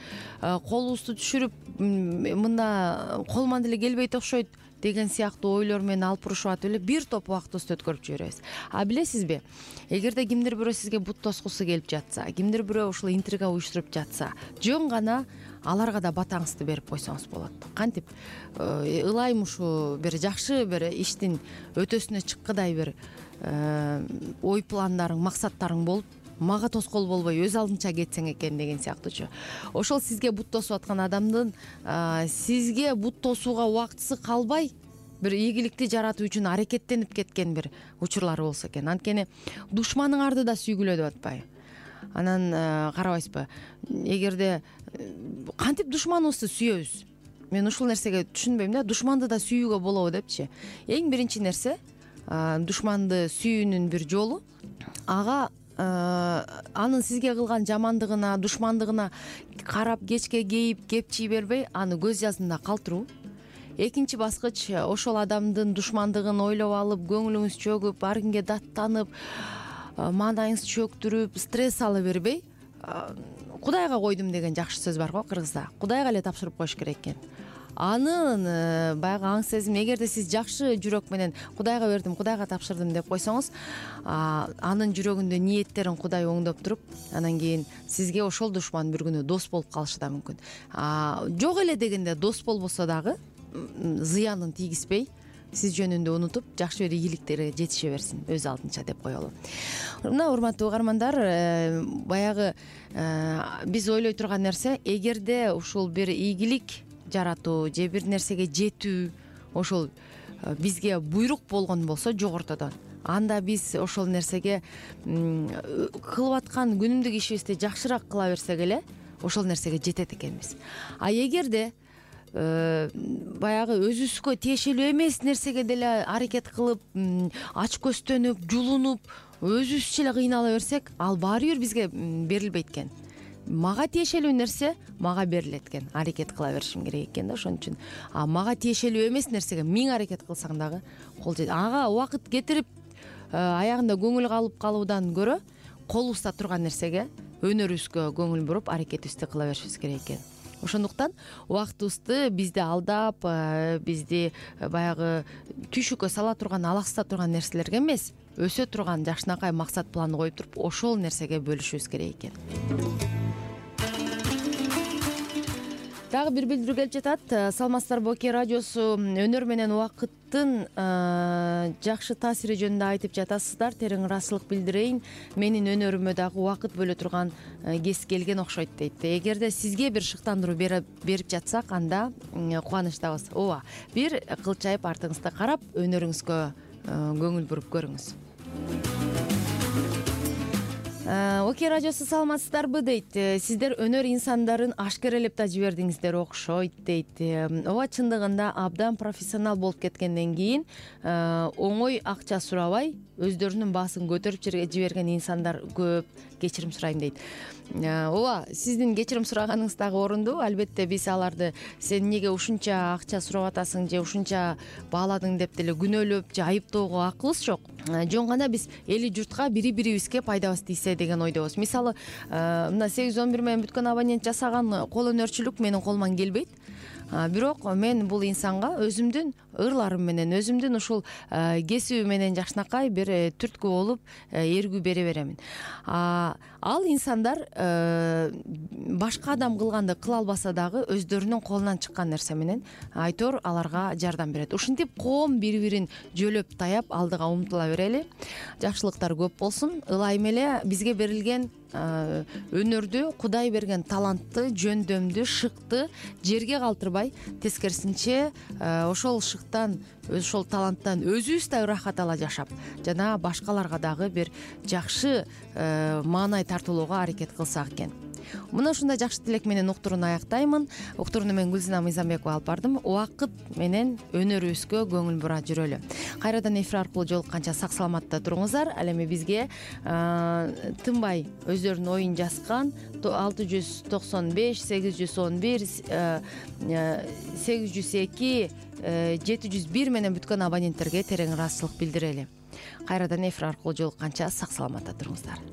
колубузду түшүрүп, мында колуман деле келбейт окшойт деген сыяктуу ойлор менен алып урушуп атып эле бир топ убактыбызды өткөрүп жиберебиз. А билесизби, эгерде кимдир бирөө сизге бут тоскусу келип жатса, кимдир бирөө ушул интрига уюштуруп жатса, жөн гана аларга да батаңызды берип койсоңуз болот. Кантип ылайым ушу бир жакшы бир иштин өтөсүнө чыккыдай бир ой пландарың, максаттарың болуп, мага тоскоол болбой өз алдынча кетсең экен деген сыяктуучу. Ошол сизге бут тосуп аткан адамдын сизге бут тосууга убактысы калбай бир ийгиликти жаратуу үчүн аракеттенип кеткен бир учурлары болсо экен. Анткени душманыңарды да сүйгүлө деп атпайбы? Анан карабайсызбы, эгерде кантип душманыбызды сүйөбүз? Мен ушул нерсеге түшүнбөйм да, душманды да сүйүүгө болобу депчи. Эң биринчи нерсе, душманды сүйүүнүн бир жолу ага анын сизге кылган жамандыгына, душмандыгына карап кечке кейип, кепчий бербей, аны көз жаздында калтыруу. Экинчи баскыч, ошол адамдын душмандыгын ойлоп алып, көңүлүңүз чөгүп, ар кимге даттанып, маанайыңызды чөктүрүп, стресс ала бербей, Кудайга койдум деген жакшы сөз бар го кыргызда. Кудайга эле тапшырып коюш керек экен. Анын баягы аң сезим, эгерде сиз жакшы жүрөк менен Кудайга бердим, Кудайга тапшырдым деп койсоңуз, анын жүрөгүндө ниеттерин Кудай оңдоп туруп, анан кийин сизге ошол душман бир күнү дос болуп калышы да мүмкүн. Жок эле дегенде дос болбосо дагы зыянын тийгизбей, сиз жөнүндө унутуп, жакшы бир ийгиликтерге жетише берсин өз алдынча деп коелу. Мына урматтуу угармандар, баягы биз ойлой турган нерсе, эгерде ушул бир ийгилик жаратуу же бир нерсеге жетүү ошол бизге буйрук болгон болсо жогортодон, анда биз ошол нерсеге кылып аткан күнүмдүк ишибизди жакшыраак кыла берсек эле ошол нерсеге жетет экенбиз. А эгерде баягы өзүбүзгө тиешелүү эмес нерсеге деле аракет кылып, ач көздөнүп, жулунуп, өзүбүзчө эле кыйнала берсек, ал баары бир бизге берилбейт экен. Мага тиешелүү нерсе мага берилет экен, аракет кыла беришим керек экен да. Ошон үчүн мага тиешелүү эмес нерсеге 1000 аракет кылсаң дагы кол жетет. Ага убакыт кетирип, аягында көңүл калып калуудан көрө колубузда турган нерсеге, өнөрүбүзгө көңүл буруп, аракетибизди кыла беришибиз керек экен. Ошондуктан убактыбызды бизди алдап, бизди баягы түйшүккө сала турган, алаксыта турган нерселерге эмес, өсө турган жакшынакай максат план коюп туруп, ошол нерсеге бөлүшүбүз керек экен. Дагы бир билдирүү келип жатат. Саламатсыздарбы, Оке радиосу өнөр менен убакыттын жакшы таасири жөнүндө айтып жатасыздар. Терең ыраазычылык билдирейин. Менин өнөрүмө дагы убакыт бөлө турган кез келген окшойт дейт. Эгерде сизге бир шыктандыруу берип жатсак, анда кубанычтабыз. Ооба, бир кылчайып артыңызды карап, өнөрүңүзгө көңүл буруп көрүңүз. Окей радиосу саламатсыздарбы дейт. Сиздер өнөр инсандарын ашкерелеп да жибердиңиздер окшойт дейт. Ооба, чындыгында абдан профессионал болуп кеткенден кийин оңой акча сурабай өздөрүнүн баасын көтөрүп жиберген инсандар көп. Кечирим сурайм дейт. Ооба, сиздин кечирим сураганыңыз дагы орундуу. Албетте биз аларды сен эмнеге ушунча акча сурап атасың же ушунча бааладың деп деле күнөөлөп же айыптоого акыбыз жок. Жөн гана биз эли журтка бири-бирибизге пайдабыз тийсе деген ойдобуз. Мисалы, мына 811 менен бүткөн абонент жасаган кол өнөрчүлүк менин колуман келбейт. Бирок мен бул инсанга өзүмдүн ырларым менен, өзүмдүн ушул кесиби менен жакшынакай бир түрткү болуп эргүү бере беремин. Ал инсандар башка адам кылганды кыла албаса дагы өздөрүнүн колунан чыккан нерсе менен айтор аларга жардам берет. Ушинтип коом бири-бирин жөлөп таяп алдыга умтула берели. Жакшылыктар көп болсун. Ылайым эле бизге берилген өнөрдү, Кудай берген талантты, жөндөмдү, шыкты жерге калтырбай, тескерисинче ошол шыктан, ошол таланттан өзүбүз да ырахат ала жашап, жана башкаларга дагы бир жакшы маанай тартуулоого аракет кылсак экен. Мына ушундай жакшы тилек менен уктурууну аяктаймын. Уктурууну мен Гүлзина Мыйзамбекова алып бардым. Убакыт менен өнөрүбүзгө көңүл бура жүрөлү. Кайрадан эфир аркылуу жолукканча сак саламатта туруңуздар. Ал эми бизге тынбай өздөрүнүн оюн жазган 695 811 802 701 менен бүткөн абоненттерге терең ыраазычылык билдирели. Кайрадан эфир аркылуу жолукканча сак саламатта туруңуздар.